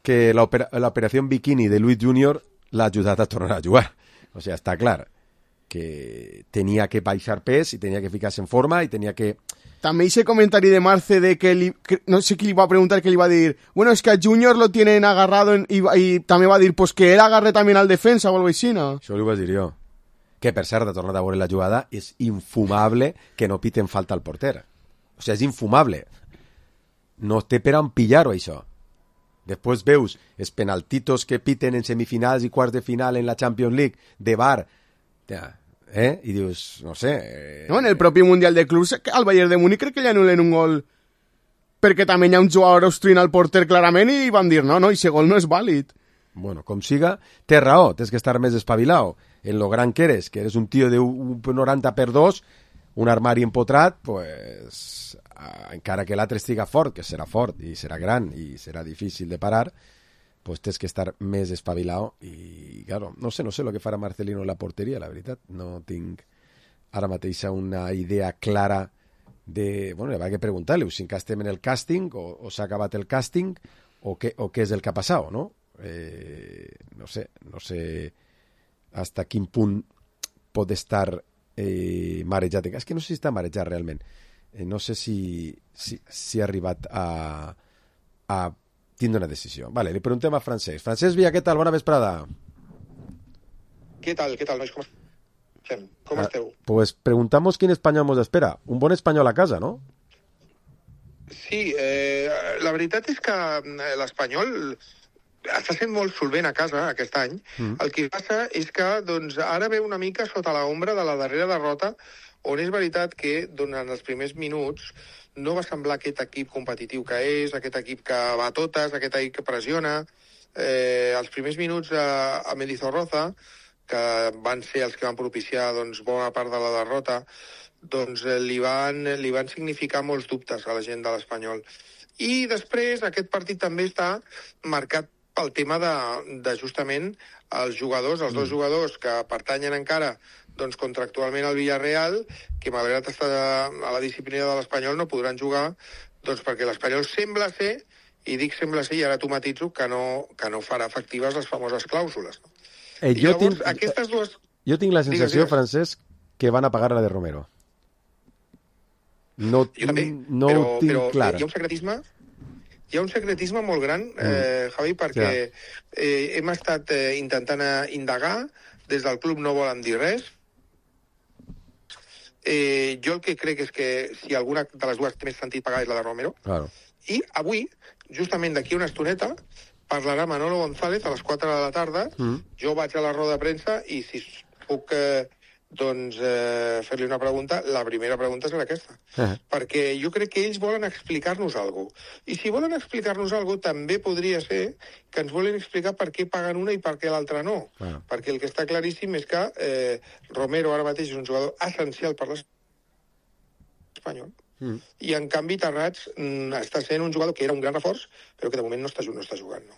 que l'operació Bikini de Luis Júnior l'ha ajudat a tornar a jugar. O sigui, està clar que tenia que baixar pes i tenia que ficar-se en forma i tenia que... També ese comentari de Marce de que, li, que no sé qui li va preguntar, que li va dir, bueno, es que a Júnior lo tienen agarrado en, y, y també va dir, pues que él agarre también al defensa o algo així, ¿no? Això li vaig dir jo. Que per cert, de tornar a veure la jugada, és infumable que no piten falta al porter. O sigui, és infumable. No té per on pillar-ho, això. Després veus els penaltitos que piten en semifinals i quarts de final en la Champions League de V A R, ja, eh? I dius, no sé... Eh... No, en el propi Mundial de Clubs, al Bayern de Múnich crec que li anulen un gol perquè també hi ha un jugador austrià al porter clarament i van dir, no, no, i ese gol no és vàlid. Bueno, com siga, té raó, tens que estar més espavilado. En lo gran que eres, que eres un tío de un noranta per dos, un armari empotrat, pues, encara que l'altre estiga fort, que serà fort i serà gran i serà difícil de parar, pues tens que estar més espavilado i, claro, no sé, no sé el que farà Marcelino en la porteria, la veritat. No tinc ara mateix una idea clara de... Bueno, hi ha que preguntar-li si encara estem en el càsting o, o s'ha acabat el càsting o què, o què és el que ha passat, no? Eh, no sé, no sé hasta quin punt pot estar eh, marejat. És que no sé si està marejat realment. Eh, no sé si, si, si ha arribat a... a tindre una decisió. Vale, li preguntem a Francesc. Francesc Villa, què tal? Bona vesprada. Què tal, què tal, nois? Com estem? Com ah, esteu? Pues preguntamos quin espanyol mos espera. Un bon espanyol a casa, no? Sí, eh, la veritat és que l'espanyol està sent molt solvent a casa aquest any. Mm. El que passa és que doncs, ara ve una mica sota l'ombra de la darrera derrota, on és veritat que durant els primers minuts no va semblar aquest equip competitiu que és, aquest equip que va a totes, aquest equip que pressiona. Eh, els primers minuts a, a Mendizorroza, que van ser els que van propiciar doncs, bona part de la derrota, doncs eh, li, van, li van significar molts dubtes a la gent de l'Espanyol. I després aquest partit també està marcat pel tema de, de justament els jugadors, els dos jugadors que pertanyen encara doncs contractualment al Villarreal, que malgrat estar a la disciplina de l'Espanyol no podran jugar, doncs perquè l'Espanyol sembla ser, i dic sembla ser, i ara tu matitzo, que no, que no farà efectives les famoses clàusules. No? Eh, I jo, llavors, tinc, aquestes dues... jo tinc la sensació, digues, digues. Francesc, que van a pagar la de Romero. No, Jo també, no però, ho tinc però clar. hi ha un secretisme hi ha un secretisme molt gran, eh, Javi, perquè Ja. eh, hem estat eh, intentant eh, indagar, des del club no volen dir res. Eh, jo el que crec és que si alguna de les dues té més sentit pagar és la de Romero. Claro. I avui, justament d'aquí una estoneta, parlarà Manolo González a les quatre de la tarda. Mm. Jo vaig a la roda de premsa i si puc eh, doncs, eh, fer-li una pregunta, la primera pregunta serà aquesta. Eh. Perquè jo crec que ells volen explicar-nos alguna cosa. I si volen explicar-nos alguna cosa, també podria ser que ens volen explicar per què paguen una i per què l'altra no. Ah. Perquè el que està claríssim és que eh, Romero ara mateix és un jugador essencial per l'Espanyol. Mm. I, en canvi, Terrats mm, està sent un jugador que era un gran reforç, però que de moment no està, no està jugant. No?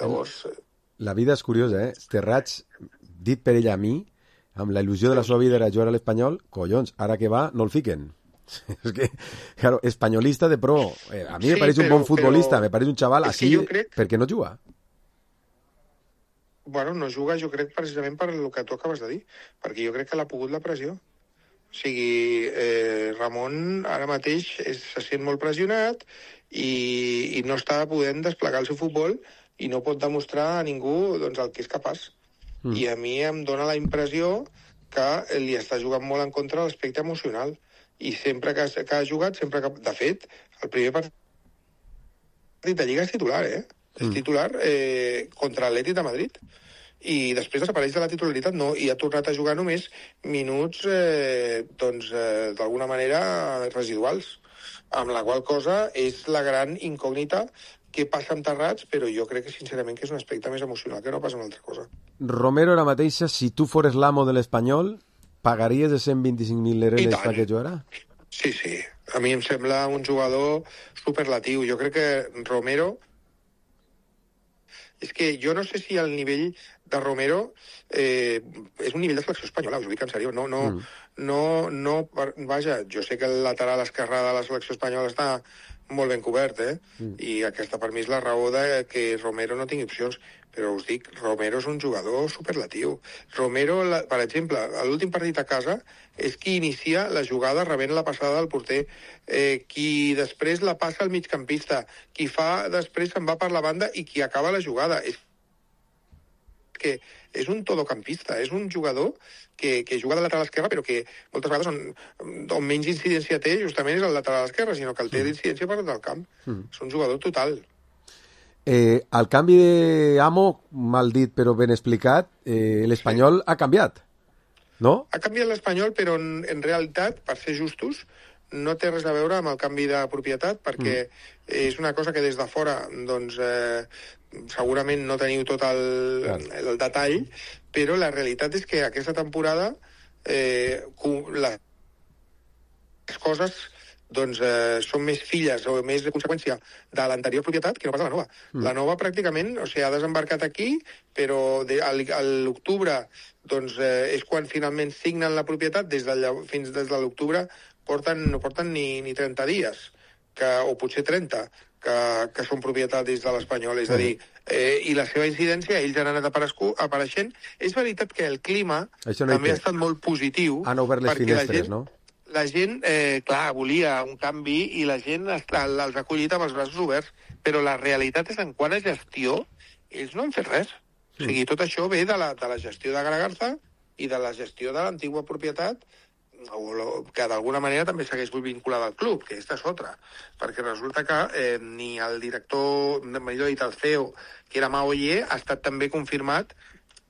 Llavors... Eh... La vida és curiosa, eh? Terrats, dit per ella a mi, amb la il·lusió de la seva vida era jugar a l'Espanyol, collons, ara que va, no el fiquen. És que, claro, espanyolista de pro. Eh, a mi Sí, me pareix un però- bon futbolista, però- me pareix un xaval és que així, jo crec- per què no juga? Bueno, no juga, jo crec, precisament per el que tu acabes de dir, perquè jo crec que l'ha pogut la pressió. O sigui, eh, Ramon ara mateix és, se sent molt pressionat i, i no està podent desplegar el seu futbol i no pot demostrar a ningú doncs, el que és capaç. Mm. I a mi em dóna la impressió que li està jugant molt en contra l'aspecte emocional. I sempre que, que ha jugat, sempre que... De fet, el primer partit de Lliga és titular, eh? Mm. És titular eh, contra l'Atlètic de Madrid. I després desapareix de la titularitat, no, i ha tornat a jugar només minuts, eh, doncs, eh, d'alguna manera residuals, amb la qual cosa és la gran incògnita que passa amb Terrats, però jo crec que sincerament que és un aspecte més emocional que no passa una altra cosa. Romero ara mateixa, si tu fores l'amo de l'Espanyol, pagaries de cent vint-i-cinc mil I euros tant. perquè jugarà? Sí, sí, a mi em sembla un jugador superlatiu. Jo crec que Romero... És que jo no sé si el nivell de Romero eh, és un nivell de selecció espanyola, us ho dic en sèrio. No, no, mm. no, no, vaja, jo sé que el lateral esquerrà de la selecció espanyola està molt ben cobert, eh? Mm. I aquesta per mi és la raó de que Romero no tingui opcions. Però us dic, Romero és un jugador superlatiu. Romero, la, per exemple, a l'últim partit a casa és qui inicia la jugada rebent la passada del porter, eh, qui després la passa al migcampista, qui fa després se'n va per la banda i qui acaba la jugada. És que és un todocampista, és un jugador que, que juga de lateral esquerra, però que moltes vegades on, on menys incidència té justament és el lateral esquerra, sinó que el té d'incidència per del camp. Mm. És un jugador total. Eh, al canvi d'amo, mal dit però ben explicat, eh, l'Espanyol sí. ha canviat, no? Ha canviat l'Espanyol, però en, en realitat, per ser justos, no té res a veure amb el canvi de propietat, perquè mm. és una cosa que des de fora, doncs, eh, segurament no teniu tot el, el, el detall, però la realitat és que aquesta temporada eh, les coses doncs eh, són més filles o més de conseqüència de l'anterior propietat que no pas de la nova. Mm. La nova pràcticament, o sigui, ha desembarcat aquí, però de, a, a l'octubre doncs, eh, és quan finalment signen la propietat, des de, fins des de l'octubre porten, no porten ni, ni trenta dies, que, o potser trenta, que, que són propietat des de l'Espanyol. És a dir, eh, i la seva incidència, ells han anat apareixent. És veritat que el clima no també ha estat molt positiu. Han obert les finestres, no? La gent, eh, clar, volia un canvi i la gent està, els ha acollit amb els braços oberts, però la realitat és en quant a gestió, ells no han fet res. Mm. O sigui, tot això ve de la, de la gestió de Garagarza i de la gestió de l'antigua propietat, o lo, que d'alguna manera també segueix vinculada al club, que aquesta és altra, perquè resulta que eh, ni el director, millor dit, el C E O, que era Mao Ye, ha estat també confirmat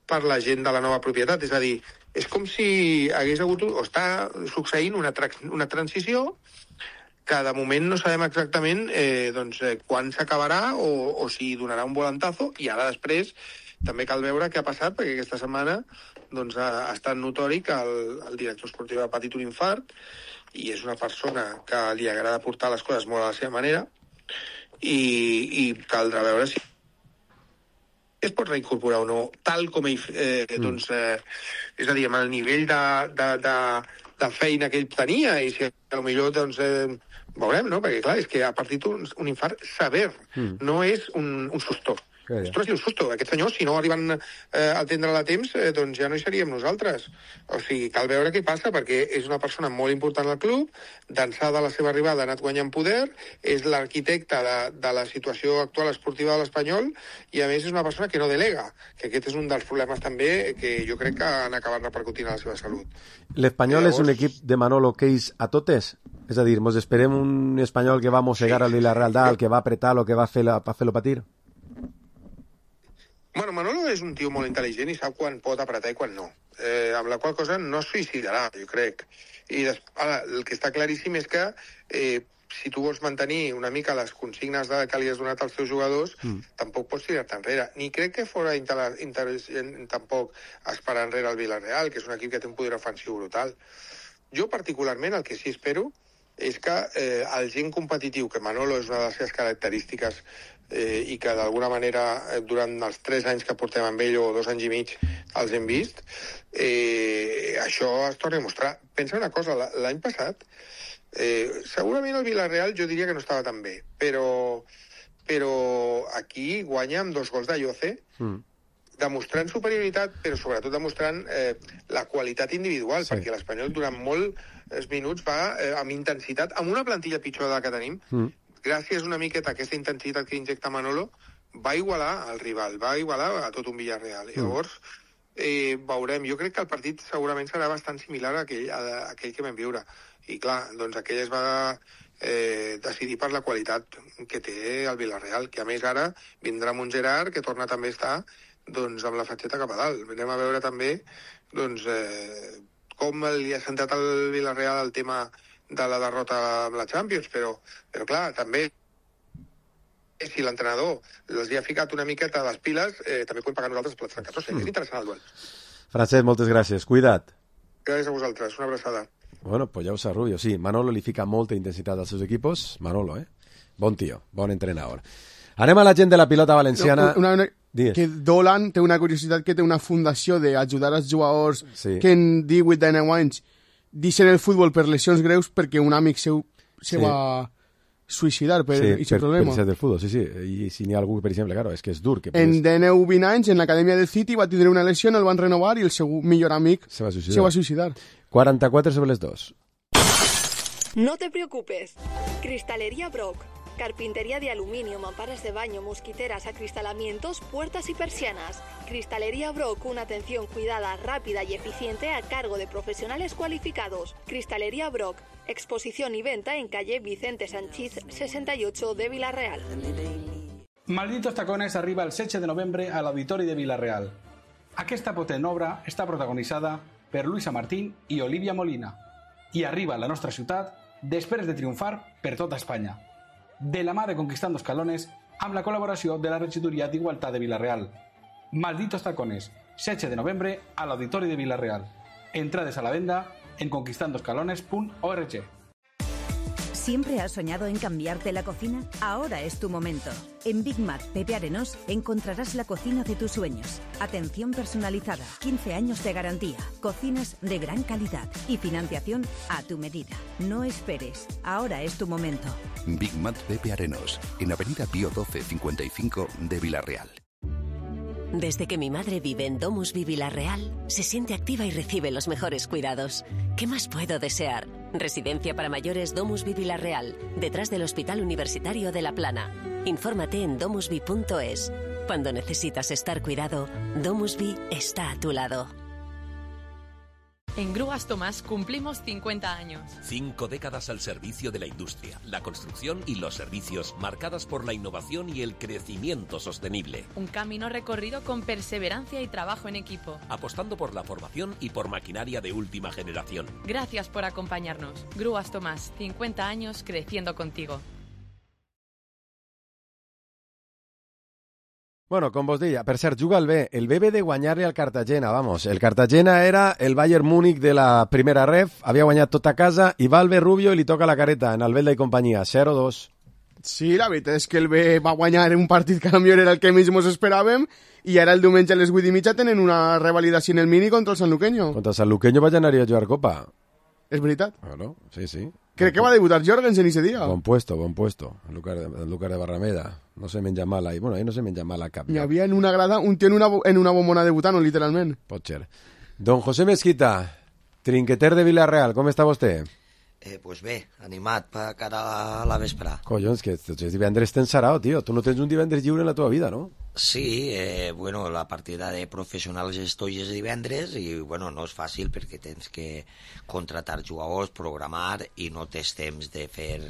per la gent de la nova propietat. És a dir, és com si hagués hagut, o està succeint una, tra una transició que de moment no sabem exactament eh, doncs, eh, quan s'acabarà o, o si donarà un volantazo, i ara després també cal veure què ha passat, perquè aquesta setmana doncs, ha, ha estat notori que el, el director esportiu ha patit un infart i és una persona que li agrada portar les coses molt a la seva manera i, i caldrà veure si es pot reincorporar o no, tal com ell, eh, mm. doncs, eh, és a dir, amb el nivell de, de, de, de feina que ell tenia, i si potser, doncs, eh, veurem, no? Perquè, clar, és que ha partit un, un infart sever, mm. no és un, un susto. Ostres, un susto. Aquest senyor, si no arriben eh, a atendre-la a temps, eh, doncs ja no hi seríem nosaltres. O sigui, cal veure què passa, perquè és una persona molt important al club, d'ençà de la seva arribada ha anat guanyant poder, és l'arquitecte de, de la situació actual esportiva de l'Espanyol, i a més és una persona que no delega, que aquest és un dels problemes també que jo crec que han acabat repercutint a la seva salut. L'Espanyol Llavors... és un equip de Manolo Keis a totes? És a dir, mos esperem un espanyol que va mossegar sí. al Villarreal dalt, que va apretar o que va fer-lo fer patir? Bueno, Manolo és un tio molt intel·ligent i sap quan pot apretar i quan no. Eh, amb la qual cosa no es suïcidarà, jo crec. I des... Ara, el que està claríssim és que eh, si tu vols mantenir una mica les consignes de, que li has donat als teus jugadors, mm. tampoc pots tirar-te enrere. Ni crec que fora intel·ligent tampoc esperar enrere el Villarreal, que és un equip que té un poder ofensiu brutal. Jo, particularment, el que sí espero és que eh, el gent competitiu, que Manolo és una de les seves característiques, eh, i que d'alguna manera eh, durant els tres anys que portem amb ell, o dos anys i mig, els hem vist, eh, això es torna a mostrar. Pensa una cosa, l'any passat, eh, segurament el Villarreal jo diria que no estava tan bé, però, però aquí guanya amb dos gols de Lloce, mm. demostrant superioritat, però sobretot demostrant eh, la qualitat individual, sí. perquè l'Espanyol durant molts minuts va eh, amb intensitat, amb una plantilla pitjor de la que tenim, mm. gràcies una miqueta a aquesta intensitat que injecta Manolo, va igualar al rival, va igualar a tot un Villarreal. Mm. Llavors, eh, veurem, jo crec que el partit segurament serà bastant similar a aquell, a, a aquell que vam viure. I clar, doncs aquell es va eh, decidir per la qualitat que té el Villarreal, que a més ara vindrà amb un Gerard que torna també a estar doncs, amb la fatxeta cap a dalt. Anem a veure també doncs, eh, com li ha sentat al Villarreal el tema de la derrota amb la Champions, però, però clar, també si l'entrenador els hi ha ficat una miqueta a les piles, eh, també podem pagar nosaltres plats francats. Mm. És interessant el duel. Francesc, moltes gràcies. Cuida't. Gràcies a vosaltres. Una abraçada. Bueno, pues ja ho sap, Rubio. Sí, Manolo li fica molta intensitat als seus equipos. Manolo, eh? Bon tio, bon entrenador. Anem a la gent de la pilota valenciana. No, una, una, que Dolan té una curiositat, que té una fundació d'ajudar els jugadors sí. que en divuit de nou anys deixen el futbol per lesions greus perquè un amic seu se sí. va suïcidar per sí, aquest problema. Sí, per del futbol, sí, sí. I si n'hi ha algú, per exemple, claro, és que és dur. Que en de nou vint anys, en l'acadèmia del City, va tindre una lesió, el van renovar i el seu millor amic se va suïcidar. Se va suïcidar. quaranta-quatre sobre les dos. No te preocupes. Cristalería Brock. Carpintería de aluminio, mamparas de baño, mosquiteras, acristalamientos, puertas y persianas. Cristalería Brock, una atención cuidada, rápida y eficiente a cargo de profesionales cualificados. Cristalería Brock, exposición y venta en calle Vicente Sanchís sesenta y ocho de Villarreal. Malditos tacones arriba el setze de novembre a l'Auditori de Villarreal. Aquesta potent obra està protagonitzada per Luisa Martín i Olivia Molina i arriba a la nostra ciutat després de triomfar per tota Espanya. De la mà de Conquistando Escalones, amb la col·laboració de la Regidoria d'Igualtat de Villarreal. Malditos tacones, setze de novembre a l'Auditori de Villarreal. Entrades a la venda en conquistando escalones punto org. ¿Siempre has soñado en cambiarte la cocina? Ahora es tu momento. En Big Mac Pepe Arenós encontrarás la cocina de tus sueños. Atención personalizada, quince años de garantía, cocinas de gran calidad y financiación a tu medida. No esperes, ahora es tu momento. Big Mac Pepe Arenós, en Avenida Pío doce cincuenta y cinco de Villarreal. Desde que mi madre vive en Domusvi Villarreal, se siente activa y recibe los mejores cuidados. ¿Qué más puedo desear? Residencia para mayores Domusvi Villarreal, detrás del Hospital Universitario de La Plana. Infórmate en domusvi punto es. Cuando necesitas estar cuidado, Domusvi está a tu lado. En Grúas Tomás cumplimos cincuenta años. Cinco décadas al servicio de la industria, la construcción y los servicios, marcadas por la innovación y el crecimiento sostenible. Un camino recorrido con perseverancia y trabajo en equipo. Apostando por la formación y por maquinaria de última generación. Gracias por acompañarnos. Grúas Tomás, cincuenta años creciendo contigo. Bueno, com vos deia, per cert, juga el B. El B ve de guanyar-li al Cartagena, vamos. El Cartagena era el Bayern Múnich de la primera ref, havia guanyat tot a casa, i va el B Rubio i li toca la careta en Albelda i companyia, zero dos. Sí, la veritat és que el B va guanyar un partit que a millor era el que més ens esperàvem i ara el diumenge a les vuit i mitja tenen una revalidació en el mini contra el Sanluqueño. Contra el Sanluqueño vaig anar a jugar Copa. És veritat? Claro, sí, sí. Crec que va debutar Jorgensen ese dia. Bon puesto, bon puesto. El Lucar de, el Lucar de Barrameda. No se menja mal ahí. Bueno, ahí no se menja mal a cap. Hi havia en una grada un tio en una, en una bombona debutant, literalment. Pot ser. Don José Mesquita, trinqueter de Villarreal, com està vostè? Eh, pues bé, animat per cara a la vesprà. Collons, que tots els divendres tens sarao, tio. Tu no tens un divendres lliure en la teva vida, no? Sí, eh, bueno, la partida de professionals estoy és divendres i, bueno, no és fàcil perquè tens que contratar jugadors, programar i no tens temps de fer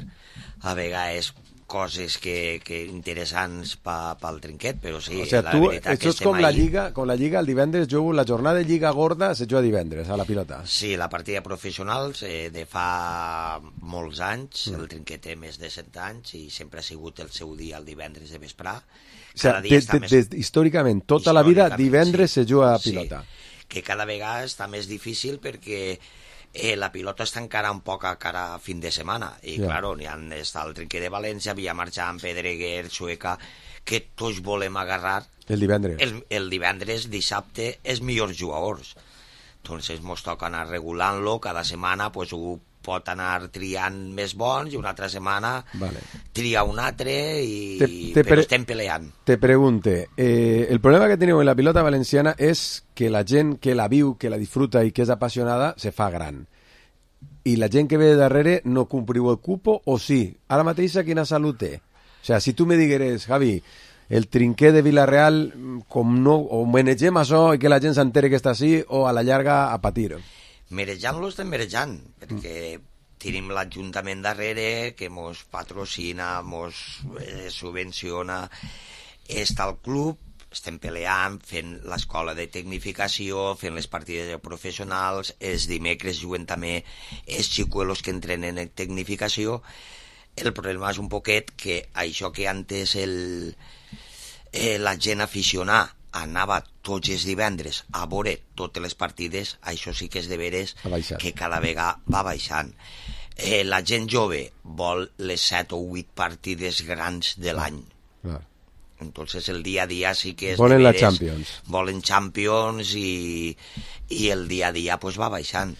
a vegades coses que, que interessants pa, pel trinquet, però sí, o sea, la tu, veritat que és com estem la ahí. lliga, com la lliga el divendres jugo, la jornada de lliga gorda se juga divendres a la pilota. Sí, la partida professionals eh, de fa molts anys, Mm. el trinquet té més de set anys i sempre ha sigut el seu dia el divendres de vesprà. O sea, Cada dia de, està de, més... de, històricament, tota la vida divendres sí. se juga a pilota. Sí, que cada vegada està més difícil perquè eh, la pilota està encara un poc a cara a fin de setmana i Ja. claro, n'hi ha està el trinquet de València, Villamarchant, Pedreguer, Sueca, que tots volem agarrar El divendres. el, el divendres, dissabte, els millors jugadors. Entonces mos toca anar regulant-lo cada setmana, pues ho pot anar triant més bons i una altra setmana Vale. tria un altre i Te, te però pre- estem peleant. Te pregunte, eh, el problema que teniu en la pilota valenciana és que la gent que la viu, que la disfruta i que és apassionada se fa gran. I la gent que ve de darrere no compriu el cupo o sí? Ara mateix quina salut té? O sea, si tu me digueres, Javi, el trinquet de Villarreal, com no, o manegem això i que la gent s'entere que està així, o a la llarga a patir. Merejant-lo estem merejant, perquè tenim l'Ajuntament darrere que mos patrocina, mos eh, subvenciona, està el club, estem peleant, fent l'escola de tecnificació, fent les partides de professionals, els dimecres juguen també els xicuelos que entrenen en tecnificació. El problema és un poquet que això que antes el, eh, la gent aficionada anava tots els divendres a veure totes les partides, això sí que és de veres que cada vegada va baixant. Eh, la gent jove vol les set o vuit partides grans de l'any. Clar. Entonces el dia a dia sí que és Volen de la veres, Champions. volen Champions i, i el dia a dia pues, va baixant.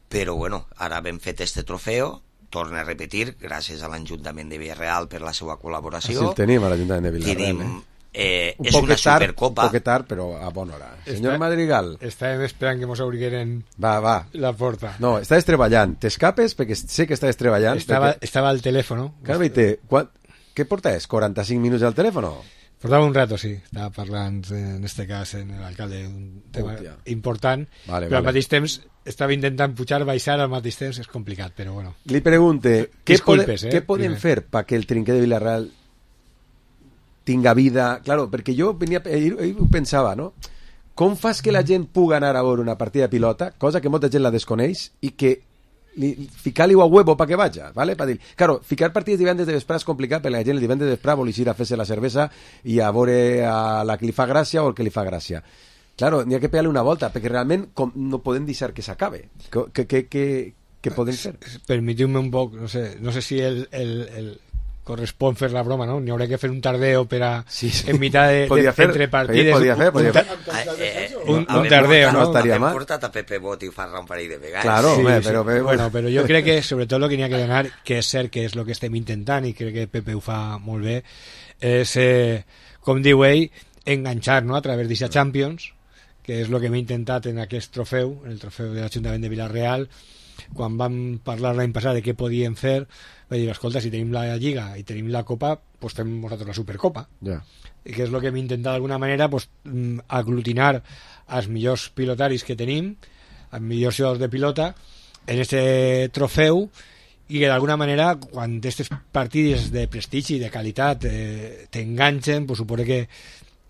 Però bueno, ara hem fet este trofeo, torna a repetir, gràcies a l'Ajuntament de Villarreal per la seva col·laboració. Així el tenim a l'Ajuntament de Villarreal. Tenim, eh? eh, un és poc una tard, supercopa. Un poc tard, però a bona hora. Senyor Està- Madrigal. Estàvem esperant que mos obrigueren Va, va. la porta. No, estàs treballant. T'escapes perquè sé que estàs treballant. Estava, perquè... estava al teléfono. Claro, veite, quan... Què portes? quaranta-cinc minuts al telèfon? Portava un rato, sí. Estava parlant, en este cas, en l'alcalde, un tema Hòstia. important. Vale, però al vale. mateix temps estava intentant pujar, baixar, al mateix temps és complicat, però bueno. Li pregunte, què, pode, Disculpes, eh, què podem primer. fer perquè el trinquet de Villarreal tinga vida? Claro, perquè jo venia, ahir, ahir ho pensava, no? Com fas que la gent pugui anar a veure una partida de pilota, cosa que molta gent la desconeix, i que li, ficar-li a huevo para que vaya, ¿vale? Pa dir, claro, ficar partides divendres de vesprà és complicat perquè la gent el divendres de vesprà vol ir a fer-se la cervesa i a veure a la que li fa gràcia o el que li fa gràcia. Claro, n'hi ha que pegar-li una volta, perquè realment com, no podem deixar que s'acabe. Què, què, què, què podem fer? Permetiu-me un poc, no sé, no sé si el, el, el correspon fer la broma, no? N'hi haurà que fer un tardeo per a, sí, sí. en mitad de, Podia de fer, entre partides. podia fer, podia fer. Eh, eh, Un, a un ver, tardeo, porta- ¿no? estaria a ver, mal. porta't a Pepe Bot i fa un parell de vegades. Claro, Sí, home, sí. però, però... Bueno, però jo crec que sobretot el que n'hi ha que donar, que és cert que és el que estem intentant i crec que Pepe ho fa molt bé, és, eh, com diu ell, enganxar, no?, a través d'aquesta Champions, que és el que hem intentat en aquest trofeu, en el trofeu de l'Ajuntament de Villarreal. Quan vam parlar l'any passat de què podíem fer, vaig dir, escolta, si tenim la Lliga i tenim la Copa, doncs fem nosaltres la Supercopa. Ja. I que és el que hem intentat d'alguna manera pues, mm, aglutinar els millors pilotaris que tenim, els millors jugadors de pilota, en este trofeu, i que d'alguna manera, quan aquestes partides de prestigi i de qualitat eh, t'enganxen, pues, suposo que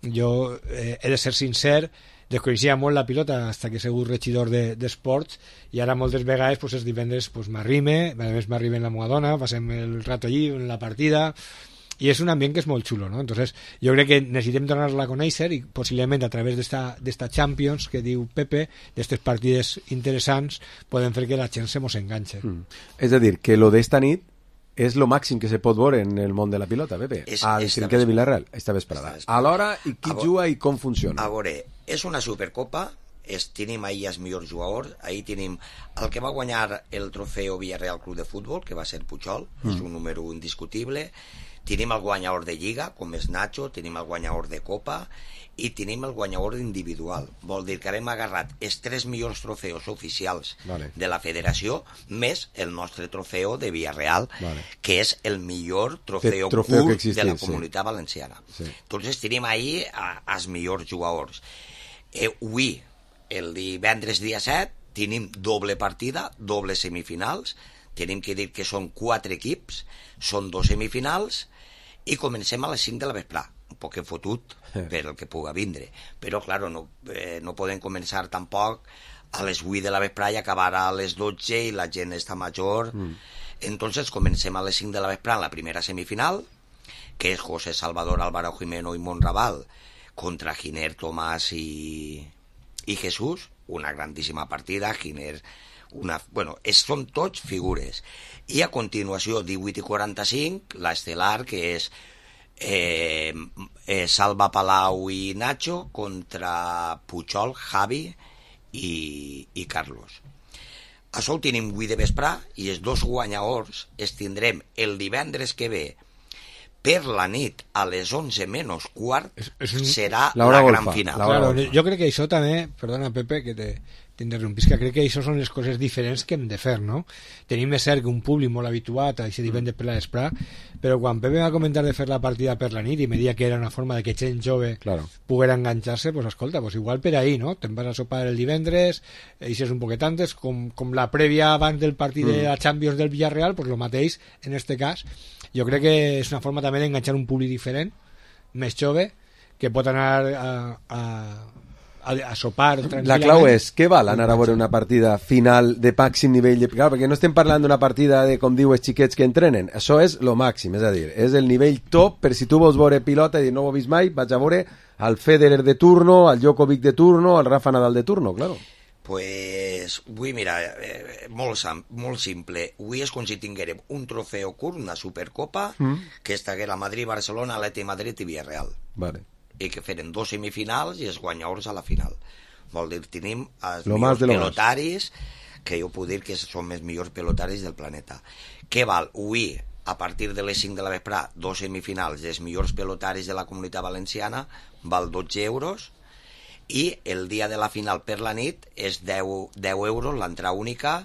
jo eh, he de ser sincer, desconeixia molt la pilota fins que he sigut regidor d'esports de, i ara moltes vegades pues, els divendres pues, m'arrime, a més m'arrime en la meva dona, passem el rato allí en la partida i és un ambient que és molt xulo, no? Entonces, jo crec que necessitem donar-la a conèixer i possiblement a través d'esta Champions que diu Pepe, d'aquestes partides interessants, podem fer que la gent se mos enganxe. Mm. És a dir, que lo d'esta nit és lo màxim que se pot veure en el món de la pilota, Pepe, És- al esta trinquet de vesprada. Vilarreal, esta vesprada. Esta vesprada. A l'hora, i qui A vo- juga i com funciona? A veure, és una supercopa, és, tenim ahir els millors jugadors, ahir tenim el que va guanyar el trofeu Villarreal Club de Futbol, que va ser Pujol, mm. és un número indiscutible, tenim el guanyador de Lliga, com és Nacho, tenim el guanyador de Copa, i tenim el guanyador individual. Vol dir que hem agarrat els tres millors trofeus oficials Vale. de la federació, més el nostre trofeu de Villarreal, Vale. que és el millor trofeu, Que trofeu que curt existís, de la sí. comunitat valenciana. Sí. Entonces tenim ahí a, als millors jugadors. Eh, avui, el divendres dia set, tenim doble partida, doble semifinals, tenim que dir que són quatre equips, són dos semifinals, i comencem a les cinc de la vesprà, un poc fotut per el que puga vindre, però claro, no, eh, no podem començar tampoc a les vuit de la vesprà i acabar a les dotze i la gent està major. Mm. Entonces comencem a les cinc de la vesprà en la primera semifinal, que és José Salvador, Álvaro Jimeno i Monraval contra Giner, Tomàs i, i Jesús, una grandíssima partida. Giner, una, bueno, és, són tots figures. I a continuació, divuit i quaranta-cinc, l'estel·lar, que és eh, eh, Salva Palau i Nacho contra Pujol, Javi i, i Carlos. Això ho tenim avui de vesprà i els dos guanyadors els tindrem el divendres que ve per la nit a les onze menys quart. És, és un... serà la, la gran final. Claro, jo crec que això també, perdona Pepe que te t'interrompis, que crec que això són les coses diferents que hem de fer, no? Tenim de ser que un públic molt habituat a aquest divendres per la vesprà, però quan Pepe va comentar de fer la partida per la nit i me deia que era una forma de que gent jove claro. poguera enganxar-se, pues escolta, pues igual per ahí, no? Te'n vas a sopar el divendres, eixes un poquet antes, com, com la prèvia abans del partit mm. de la Champions del Villarreal, pues lo mateix en este cas. Jo crec que és una forma també d'enganxar un públic diferent, més jove, que pot anar a, a, a, a sopar tranquil·lament. La clau és, què val anar a veure una partida final de màxim nivell? De... Clar, perquè no estem parlant d'una partida de, com diu, els xiquets que entrenen. Això és lo màxim, és a dir, és el nivell top, per si tu vols veure pilota i no ho he vist mai, vaig a veure al Federer de turno, al Djokovic de turno, al Rafa Nadal de turno, claro. Pues avui, mira, eh, molt, molt simple. Avui és com si tinguérem un trofeu curt, una supercopa, mm. que estaguera a Madrid, Barcelona, Atleti Madrid i Villarreal. Vale. I que feren dos semifinals i els guanyadors a la final. Vol dir, tenim els lo millors de pelotaris, que jo puc dir que són els millors pelotaris del planeta. Què val? Avui, a partir de les cinc de la vesprà, dos semifinals dels millors pelotaris de la comunitat valenciana, val dotze euros, i el dia de la final per la nit és deu, deu euros l'entrada única,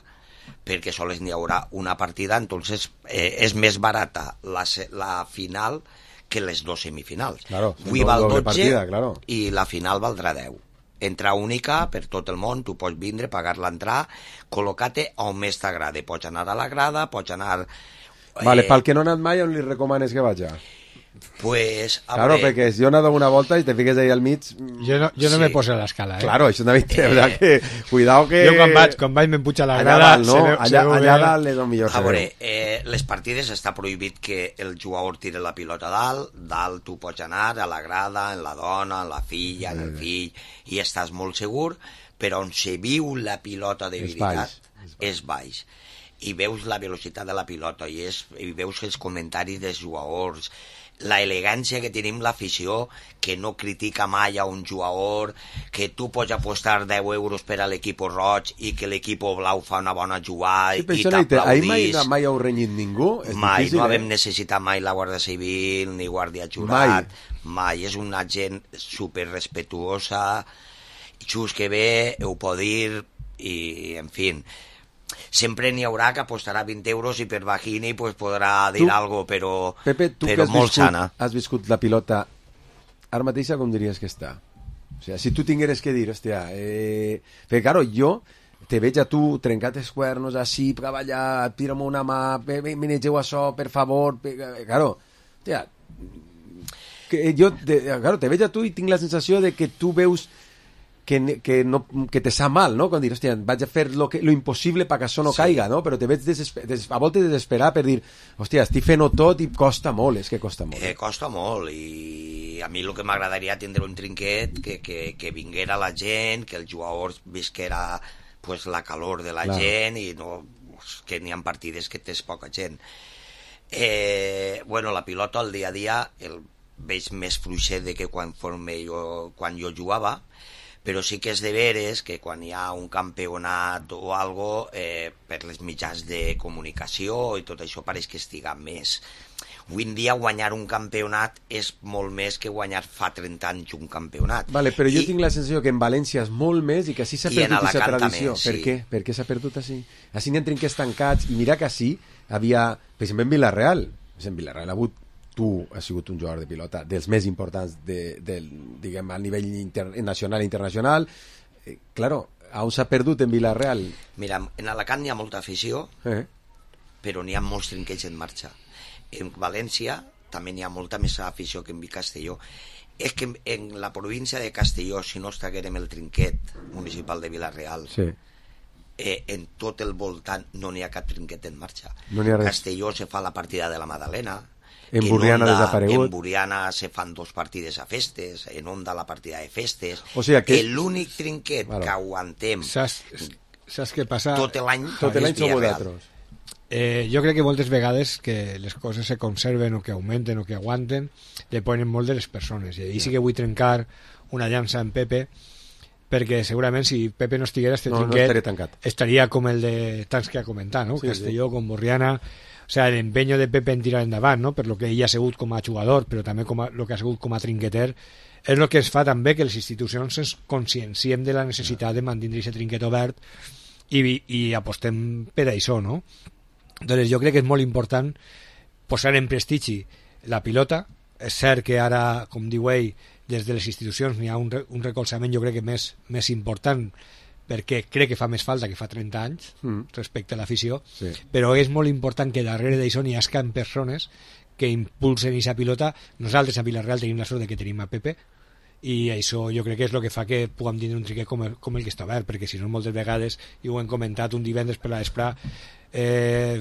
perquè sols n'hi haurà una partida, entonces eh, és més barata la, la final que les dos semifinals. Claro, avui val dotze partida, claro. I la final valdrà deu. Entrada única per tot el món, tu pots vindre, pagar l'entrada, col·locar-te on més t'agrada. Pots anar a la grada, pots anar... Eh... Vale, pel que no ha anat mai, on li recomanes que vagi? Pues, a claro, veure... perquè si jo he anat una volta i te fiques ahí al mig... Jo no, jo no sí. me poso a l'escala, eh? Claro, això també té, eh... que... Cuidao que... Jo quan vaig, quan vaig me'n puig a la allà grada... Dalt, no? veu, allà, allà dalt és el millor. A veure, eh, les partides està prohibit que el jugador tire la pilota dalt, dalt tu pots anar a la grada, en la dona, en la filla, en el fill, i estàs molt segur, però on se viu la pilota de veritat és baix. És baix. I veus la velocitat de la pilota i, és, i veus els comentaris dels jugadors, la elegància que tenim l'afició, que no critica mai a un jugador, que tu pots apostar deu euros per a l'equip roig i que l'equip blau fa una bona jugada sí, i t'aplaudís. Ahir mai, mai heu renyit ningú? És mai, difícil, no eh? vam necessitar mai la Guàrdia Civil ni Guàrdia Jurat, mai. mai. És una gent super respetuosa, just que ve, ho pot dir, i en fi... Sempre n'hi haurà que apostarà vint euros i per Bajini pues, podrà dir tu, algo, però, Pepe, tu però que has molt viscut, sana. has viscut la pilota, ara mateixa com diries que està? O sigui, si tu tingueres que dir, hòstia, eh... perquè, claro, jo te veig a tu trencat els cuernos, així, cavallar, tira'm una mà, manegeu això, per favor, claro, hòstia, que jo, te, claro, te veig a tu i tinc la sensació de que tu veus que, que, no, que te sap mal, no? Quan dir, hòstia, vaig a fer lo, que, lo impossible perquè això no sí. caiga, no? Però te veig desesper, des, a voltes desesperar per dir, hòstia, estic fent-ho tot i costa molt, és que costa molt. Eh, costa molt, i a mi el que m'agradaria tindre un trinquet que, que, que vinguera la gent, que el jugador visquera pues, la calor de la claro. gent, i no, que n'hi ha partides que tens poca gent. Eh, bueno, la pilota al dia a dia el veig més fluixet de que quan, jo, quan jo jugava, però sí que és de veres que quan hi ha un campionat o algo, eh, per les mitjans de comunicació i tot això pareix que estiga més. Avui en dia guanyar un campionat és molt més que guanyar fa trenta anys un campionat. Vale, però jo I, tinc la sensació que en València és molt més i que així s'ha perdut aquesta tradició. També, per sí. què? Per què s'ha perdut així? Així n'hi ha trinquets tancats, i mira que així havia, per exemple, en Villarreal, en Villarreal ha hagut, tu has sigut un jugador de pilota dels més importants de, del, diguem, a nivell inter, nacional i internacional. Eh, claro, on s'ha perdut en Villarreal? Mira, en Alacant hi ha molta afició, eh? però n'hi ha molts trinquets en marxa. En València també n'hi ha molta més afició que en Castelló. És que en la província de Castelló, si no estaguérem el trinquet municipal de Villarreal, sí. eh, en tot el voltant no n'hi ha cap trinquet en marxa. No n'hi ha res. Castelló se fa la partida de la Madalena, en Burriana Onda, desaparegut. En Burriana se fan dos partides a festes, en Onda la partida de festes. O sigui que... L'únic trinquet Claro. que aguantem Saps, saps què passa? tot l'any Tot l'any som vosaltres. Eh, jo crec que moltes vegades que les coses se conserven o que augmenten o que aguanten depenen molt de les persones, i ahir sí que vull trencar una llança en Pepe, perquè segurament si Pepe no estiguera este no, trinquet no estaria tancat. estaria com el de tants que ha comentat, no? Sí, Castelló, sí. com Borriana, o sea, l'empenyo de Pepe en tirar endavant, no? Per lo que ell ha sigut com a jugador, però també com a, lo que ha sigut com a trinqueter, és el que es fa també que les institucions ens conscienciem de la necessitat de mantenir aquest trinquet obert i, i apostem per això, no? Doncs jo crec que és molt important posar en prestigi la pilota. És cert que ara, com diu ell, des de les institucions n'hi ha un, re, un recolzament jo crec que més, més important, perquè crec que fa més falta que fa trenta anys mm. respecte a l'afició, sí. però és molt important que darrere d'això n'hi hagi persones que impulsen aquesta pilota. Nosaltres a Villarreal tenim la sort de que tenim a Pepe, i això jo crec que és el que fa que puguem tenir un trinquet com el, com el que està obert, perquè si no moltes vegades, i ho hem comentat un divendres per la vespre, eh,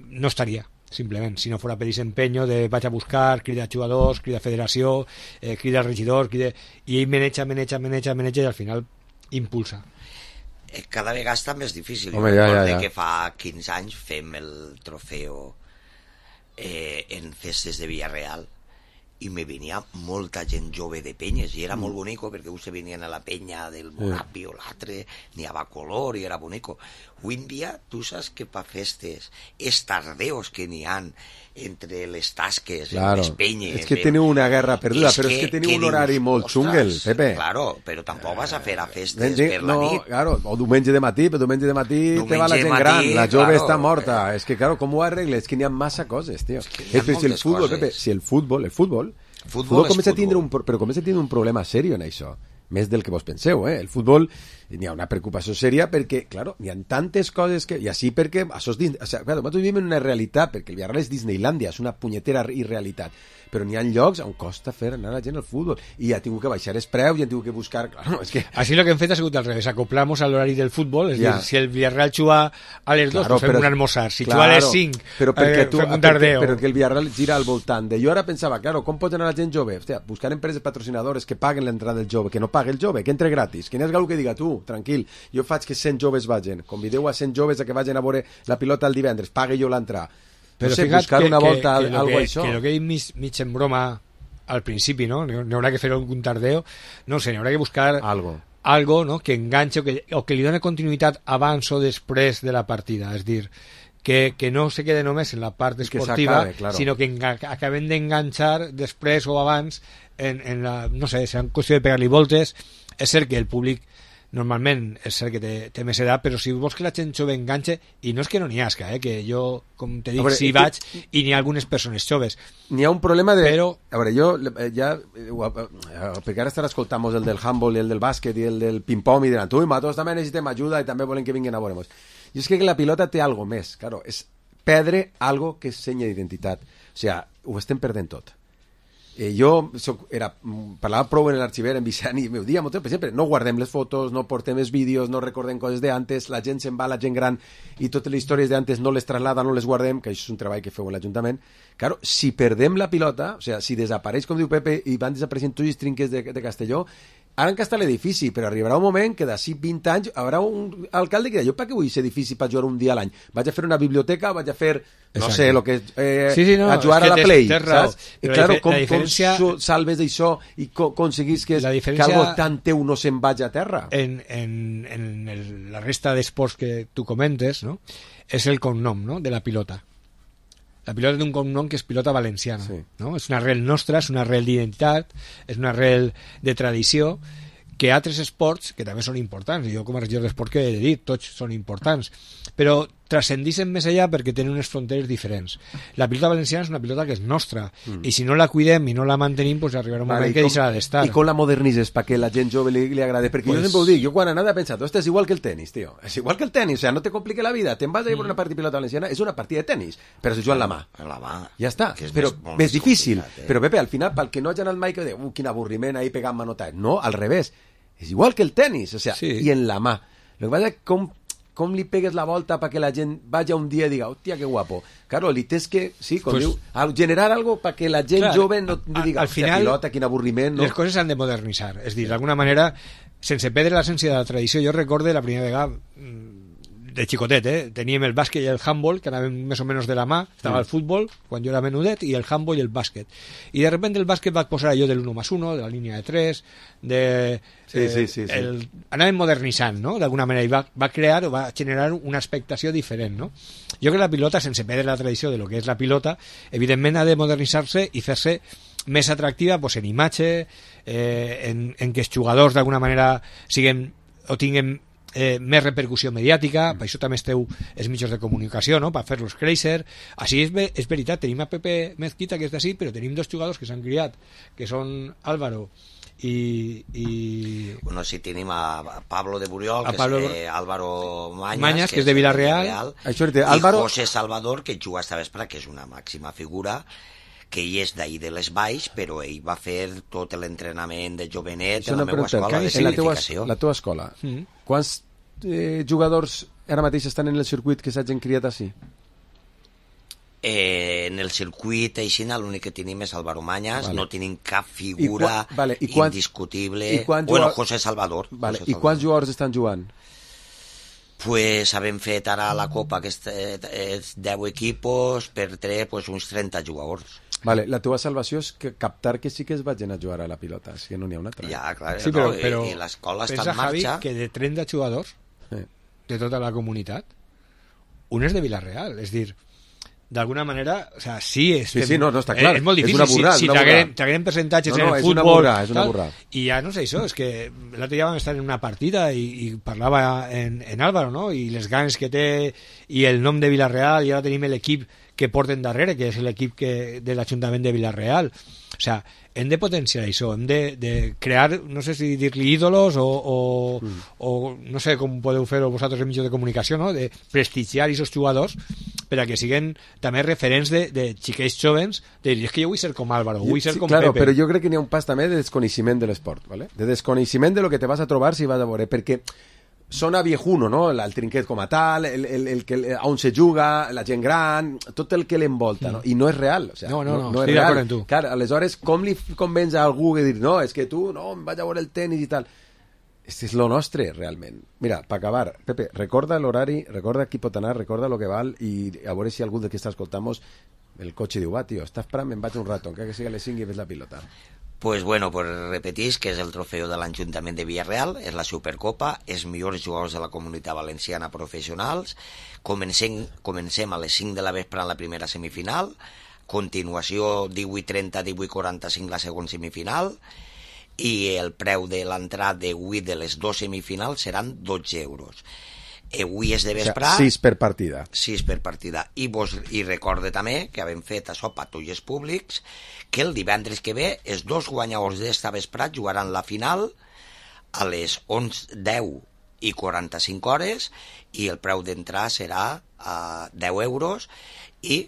no estaria, simplement, si no fora per aquest empenyo de vaig a buscar, crida jugadors, crida federació, eh, crida regidor, crida... i ell meneja, meneja, meneja, meneja, i al final impulsa. Cada vegada està més difícil. Home, jo ja, recordo ja, ja. que fa quinze anys fem el trofeu eh, en festes de Villarreal, i me venia molta gent jove de penyes, i era molt bonico, perquè us venien a la penya del Morapi o l'altre, n'hi havia color i era bonico. Avui en dia, tu saps que pa festes, els tardeos que n'hi han entre les tasques, claro. les penyes... És que teniu una guerra perduda, és però que, és que teniu que un dius, horari molt xungel, Pepe. Claro, però tampoc vas a fer a festes Dic, per la no, nit. claro, o diumenge de matí, però diumenge de matí Diumenge te va la gent matí, gran, la jove claro. està morta. És que, claro, com ho arregles? És que n'hi ha massa coses, tio. És que És que si el moltes futbol, coses. Pepe, si el futbol, el futbol, Futbol futbol és comença a tindre futbol. un, però comença a tindre un problema serio en això, més del que vos penseu, eh? El futbol n'hi ha una preocupació sèria perquè, claro, n'hi ha tantes coses que... I així perquè... Això és dins, o sea, claro, nosaltres vivim en una realitat, perquè el Villarreal és Disneylandia, és una punyetera irrealitat, però n'hi ha llocs on costa fer anar la gent al futbol, i ha tingut que baixar els preus, i han tingut que buscar... Claro, és que... Així lo que hem fet ha sigut al revés, acoplamos a l'horari del futbol, és Ja. dir, si el Villarreal juga a les dos, Claro, pues fem però- un almorzar, si claro, juga a les cinc, però perquè eh, tu, fem un perquè, tardeo. però que el Villarreal gira al voltant de... Jo ara pensava, claro, com pot anar la gent jove? Hòstia, buscar empreses patrocinadores que paguen l'entrada del jove, que no pague el jove, que entre gratis, que n'hi ha algú que diga, tu, tranquil, jo faig que cent joves vagin, convideu a cent joves a que vagin a veure la pilota el divendres, pague jo l'entrada. No Però sé, fija't buscar que, una volta que, que, algo que, això. que lo que ell mig, mig en broma al principi, no? N'hi haurà que fer algun tardeo, no sé, n'hi haurà que buscar algo, algo no? que enganxe o que, o que li doni continuïtat abans o després de la partida, és dir, que, que no se quede només en la part que esportiva, s'acabe, claro. sinó que enga, acabem d'enganxar després o abans en, en la, no sé, serà qüestió de pegar-li voltes. És cert que el públic normalment és cert que té, té més edat, però si vols que la gent jove enganxe, i no és que no n'hi hasca, eh, que jo, com te dic, A veure, sí és vaig que- i n'hi ha algunes persones joves. N'hi ha un problema de... Però... A veure, jo eh, ja... eh, eh, perquè ara estarà escoltant el del handball i el del bàsquet i el del ping-pong i diran, tu, nosaltres també necessitem ajuda i també volem que vinguin a veure-nos. I és que la pilota té algo més, claro, és perdre algo que és senya d'identitat. O sigui, ho estem perdent tot. Eh, jo soc, era, parlava prou en l'arxiver en Vicent i m'ho dia, per exemple, no guardem les fotos, no portem els vídeos, no recordem coses d'antes, la gent se'n va, la gent gran, i totes les històries d'antes no les traslada, no les guardem, que això és un treball que feu en l'Ajuntament. Claro, si perdem la pilota, o sigui, si desapareix, com diu Pepe, i van desapareixent tots els trinques de, de Castelló, ara encara està l'edifici, però arribarà un moment que d'ací vint anys haurà un alcalde que dirà, jo per què vull aquest edifici per jugar un dia a l'any? Vaig a fer una biblioteca, vaig a fer, no Exacte. sé, lo que, eh, sí, sí, no, a jugar a la tens, Play, tens raó. saps? I Però claro, la com, diferència... com salves d'això i co aconseguís que, la diferència... que algo tan teu no se'n vagi a terra? En, en, en el, la resta d'esports que tu comentes, no? És el cognom, no?, de la pilota. La pilota té un cognom que és pilota valenciana, sí. no? És una arrel nostra, és una arrel d'identitat, és una arrel de tradició, que altres esports, que també són importants, jo com a regidor d'esport que he dit, tots són importants, però transcendixen més allà perquè tenen unes fronteres diferents. La pilota valenciana és una pilota que és nostra, mm. i si no la cuidem i no la mantenim, pues arribarà un vale, moment que deixarà d'estar. I com la modernitzes perquè la gent jove li, li agrada? Perquè pues... jo sempre ho dic, jo quan anava he pensat, ostres, és igual que el tenis, tio, és igual que el tenis, o sea, no te complique la vida, te'n vas a ir mm. per una partida de pilota valenciana, és una partida de tenis, però se juga en la mà. En la mà. Ja està, però més, més difícil. Eh? Però Pepe, al final, pel que no hagi anat mai, que diu, uh, quin avorriment, ahí pegant manotat. No, al revés. És igual que el tenis, o sea, sí. i en la mà. Lo que passa és com, com li pegues la volta perquè la gent vagi un dia i diga, hòstia, que guapo. Claro, li tens que, sí, com pues, diu, generar algo perquè la gent clar, jove no li diga, al final, pilota, quin avorriment. No? Les coses s'han de modernitzar. És dir, d'alguna manera, sense perdre l'essència de la tradició, jo recorde la primera vegada de xicotet, eh? Teníem el bàsquet i el handball, que anaven més o menys de la mà, estava mm. el futbol, quan jo era menudet, i el handball i el bàsquet. I de repente el bàsquet va posar allò de l'uno más uno, de la línia de tres, de... Sí, eh, sí, sí, sí. El, anaven modernitzant, no?, d'alguna manera, i va, va crear o va generar una expectació diferent, no? Jo crec que la pilota, sense perdre la tradició de lo que és la pilota, evidentment ha de modernitzar-se i fer-se més atractiva pues, en imatge, eh, en, en que els jugadors d'alguna manera siguin o tinguin Eh, més repercussió mediàtica, mm. per això també esteu els mitjans de comunicació, no?, per fer-los créixer. Així és, és veritat, tenim a Pepe Mezquita, que és d'ací, però tenim dos jugadors que s'han criat, que són Álvaro i... i... Bueno, sí, tenim a Pablo de Buriol, a que Pablo... és eh, Álvaro Mañas, Mañas, que, que és de Villarreal, Villarreal això té, i Álvaro... José Salvador, que juga esta vespre, que és una màxima figura, que ell és d'ahir de les Baix, però ell va fer tot l'entrenament de jovenet en la meva escola de planificació. La teva escola, mm. quants eh, jugadors ara mateix estan en el circuit que s'hagin criat així? Eh, en el circuit així l'únic que tenim és Álvaro Mañas, vale. No tenim cap figura I vale. I quants, indiscutible. I quants bueno, jugadors... José Salvador. Vale. José I quants jugadors estan jugant? Pues havem fet ara la Copa, que és deu equipos, per tres, pues uns trenta jugadors. Vale, la teva salvació és que captar que sí que es vagin a jugar a la pilota, si no n'hi ha una altra. Ja, clar, sí, però, no, però i, i l'escola està pensa, en marxa. Javi, que de trenta jugadors eh. de tota la comunitat, un és de Villarreal, és dir, d'alguna manera, o sea, sí, és, sí, sí, no, no, està clar. És molt difícil, és una burrada, si, si t'agrem percentatges no, no, en el és futbol, una burrada, és una burrada. I ja no sé això, és que l'altre dia vam estar en una partida i, i parlava en, en Álvaro, no?, i les ganes que té i el nom de Villarreal, i ara tenim l'equip que porten darrere, que és l'equip que, de l'Ajuntament de Villarreal. O sea, hem de potenciar això, hem de, de crear, no sé si dir-li ídolos o, o, mm. o no sé com podeu fer-ho vosaltres en mitjans de comunicació, no?, de prestigiar aquests jugadors per a que siguin també referents de, de xiquets jovens, de dir, és que jo vull ser com Álvaro, vull ser sí, com claro, Pepe. Però jo crec que n'hi ha un pas també de desconeixement de l'esport, ¿vale? De desconeixement de lo que te vas a trobar si vas a veure, perquè sona viejuno, no?, el trinquet com a tal, el, el, el, el, el, on se juga, la gent gran, tot el que l'envolta, no? I no és real, o sea, no, no, no, no, no és real. Clar, aleshores, com li convenç a algú que dir, no, és que tu, no, em vaig a veure el tenis i tal. Este és lo nostre, realment. Mira, per acabar, Pepe, recorda l'horari, recorda qui pot anar, recorda lo que val, i a veure si algú de qui està escoltant el cotxe diu, va, tio, està esperant, me'n vaig un rato, encara que sigui a les cinc i ves la pilota. Pues bueno, pues repetís que és el trofeu de l'Ajuntament de Villarreal, és la Supercopa, els millors jugadors de la comunitat valenciana professionals. Comencem, comencem a les cinc de la vespre en la primera semifinal, continuació divuit trenta, divuit quaranta-cinc la segona semifinal, i el preu de l'entrada d'avui de les dues semifinals seran dotze euros. Avui és de vesprà... O sea, sis per partida. sis per partida. I, vos, i recorde també que havem fet això patrulles públics, que el divendres que ve els dos guanyadors d'esta vesprà jugaran la final a les onze, deu i quaranta-cinc hores, i el preu d'entrar serà a deu euros, i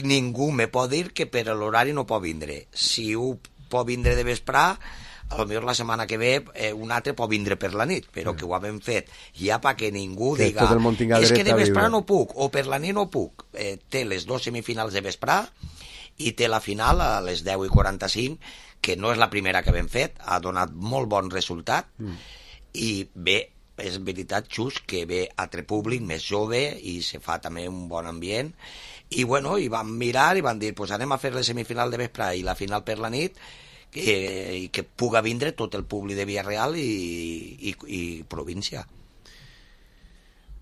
ningú me pot dir que per l'horari no pot vindre. Si ho pot vindre de vesprà, a lo millor la setmana que ve eh, un altre pot vindre per la nit, però mm. que ho havem fet ja perquè ningú que diga és que de vesprà viure. no puc, o per la nit no puc. Eh, té les dues semifinals de vesprà i té la final a les deu i quaranta-cinc, que no és la primera que hem fet, ha donat molt bon resultat, mm. i bé, és veritat, just, que ve altre públic més jove i se fa també un bon ambient, i bueno, i vam mirar i van dir, pues anem a fer la semifinal de vespre i la final per la nit, que, i que puga vindre tot el públic de Villarreal i, i, i província.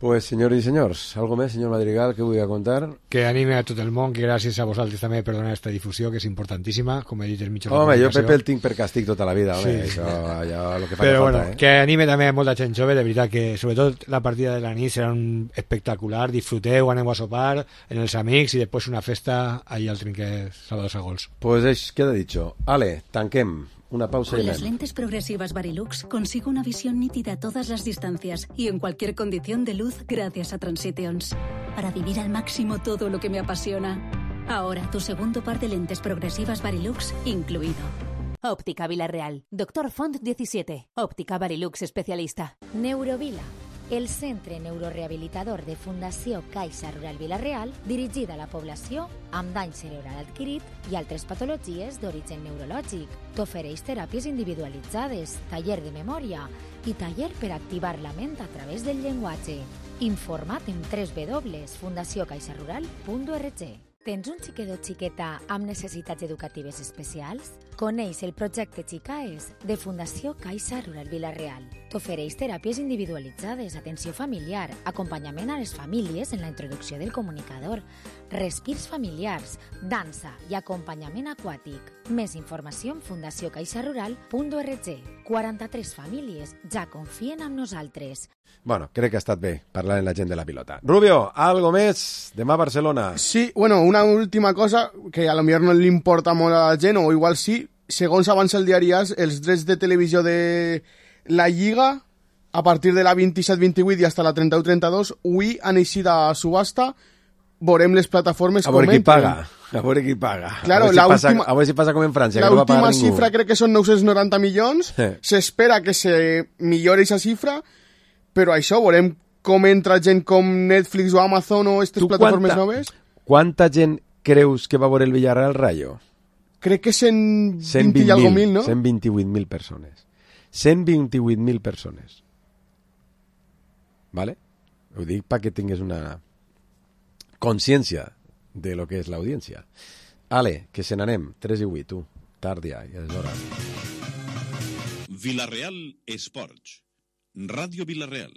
Pues, senyors i senyors, algo més, senyor Madrigal, que vull contar? Que anime a tot el món, que gràcies a vosaltres també per donar aquesta difusió, que és importantíssima, com he dit el mitjà de Home, jo comunicació. Pepe el tinc per càstig tota la vida, home, sí. Això, allò, lo que fa Però que bueno, falta, eh? que anime també a molta gent jove, de veritat que sobretot la partida de la nit serà un espectacular, disfruteu, aneu a sopar en els amics i després una festa allà al trinquet Salvador Sagols. Pues es queda dicho. Ale, tanquem. Una pausa Con y las anem. lentes progresivas Varilux consigo una visión nítida a todas las distancias y en cualquier condición de luz gracias a Transitions. Para vivir al máximo todo lo que me apasiona. Ahora tu segundo par de lentes progresivas Varilux incluido. Óptica Villarreal. Doctor Font diecisiete. Óptica Varilux especialista. Neurovila, el centre neurorehabilitador de Fundació Caixa Rural Vila-real, dirigida a la població amb dany cerebral adquirit i altres patologies d'origen neurològic. T'ofereix teràpies individualitzades, taller de memòria i taller per activar la ment a través del llenguatge. Informa't en w w w punt fundació caixa rural punt org. Tens un xiquet o xiqueta amb necessitats educatives especials? Coneix el projecte Xicaes de Fundació Caixa Rural Vila-real. T'ofereix teràpies individualitzades, atenció familiar, acompanyament a les famílies en la introducció del comunicador, respirs familiars, dansa i acompanyament aquàtic. Més informació en fundació caixa rural punt org. quaranta-tres famílies ja confien en nosaltres. Bueno, crec que ha estat bé parlar amb la gent de la pilota. Rubio, algo més? Demà a Barcelona. Sí, bueno, una última cosa que a lo millor no li importa molt a la gent, o igual sí, segons avança el diari As, els drets de televisió de la Lliga, a partir de la vint-i-set vint-i-vuit i fins a la trenta-u trenta-dos, avui han eixit a subhasta, veurem les plataformes a veure com qui paga, a veure qui paga. Claro, a, veure si la passa, última, a veure si passa com en França, que no va pagar l'última ningú. xifra crec que són nou-cents noranta milions, s'espera que se millori aquesta xifra, però això, veurem com entra gent com Netflix o Amazon o aquestes plataformes quanta, noves. Quanta gent creus que va veure el Villarreal Rayo? Crec que cent vint i algo mil, no? cent vint-i-vuit mil persones. cent vint-i-vuit mil persones. ¿Vale? Ho dic perquè tingues una consciència de lo que és l'audiència. Ale, que se n'anem, tres i vuit, tu. Tard ja, ja és hora. Villarreal Esports. Ràdio Villarreal.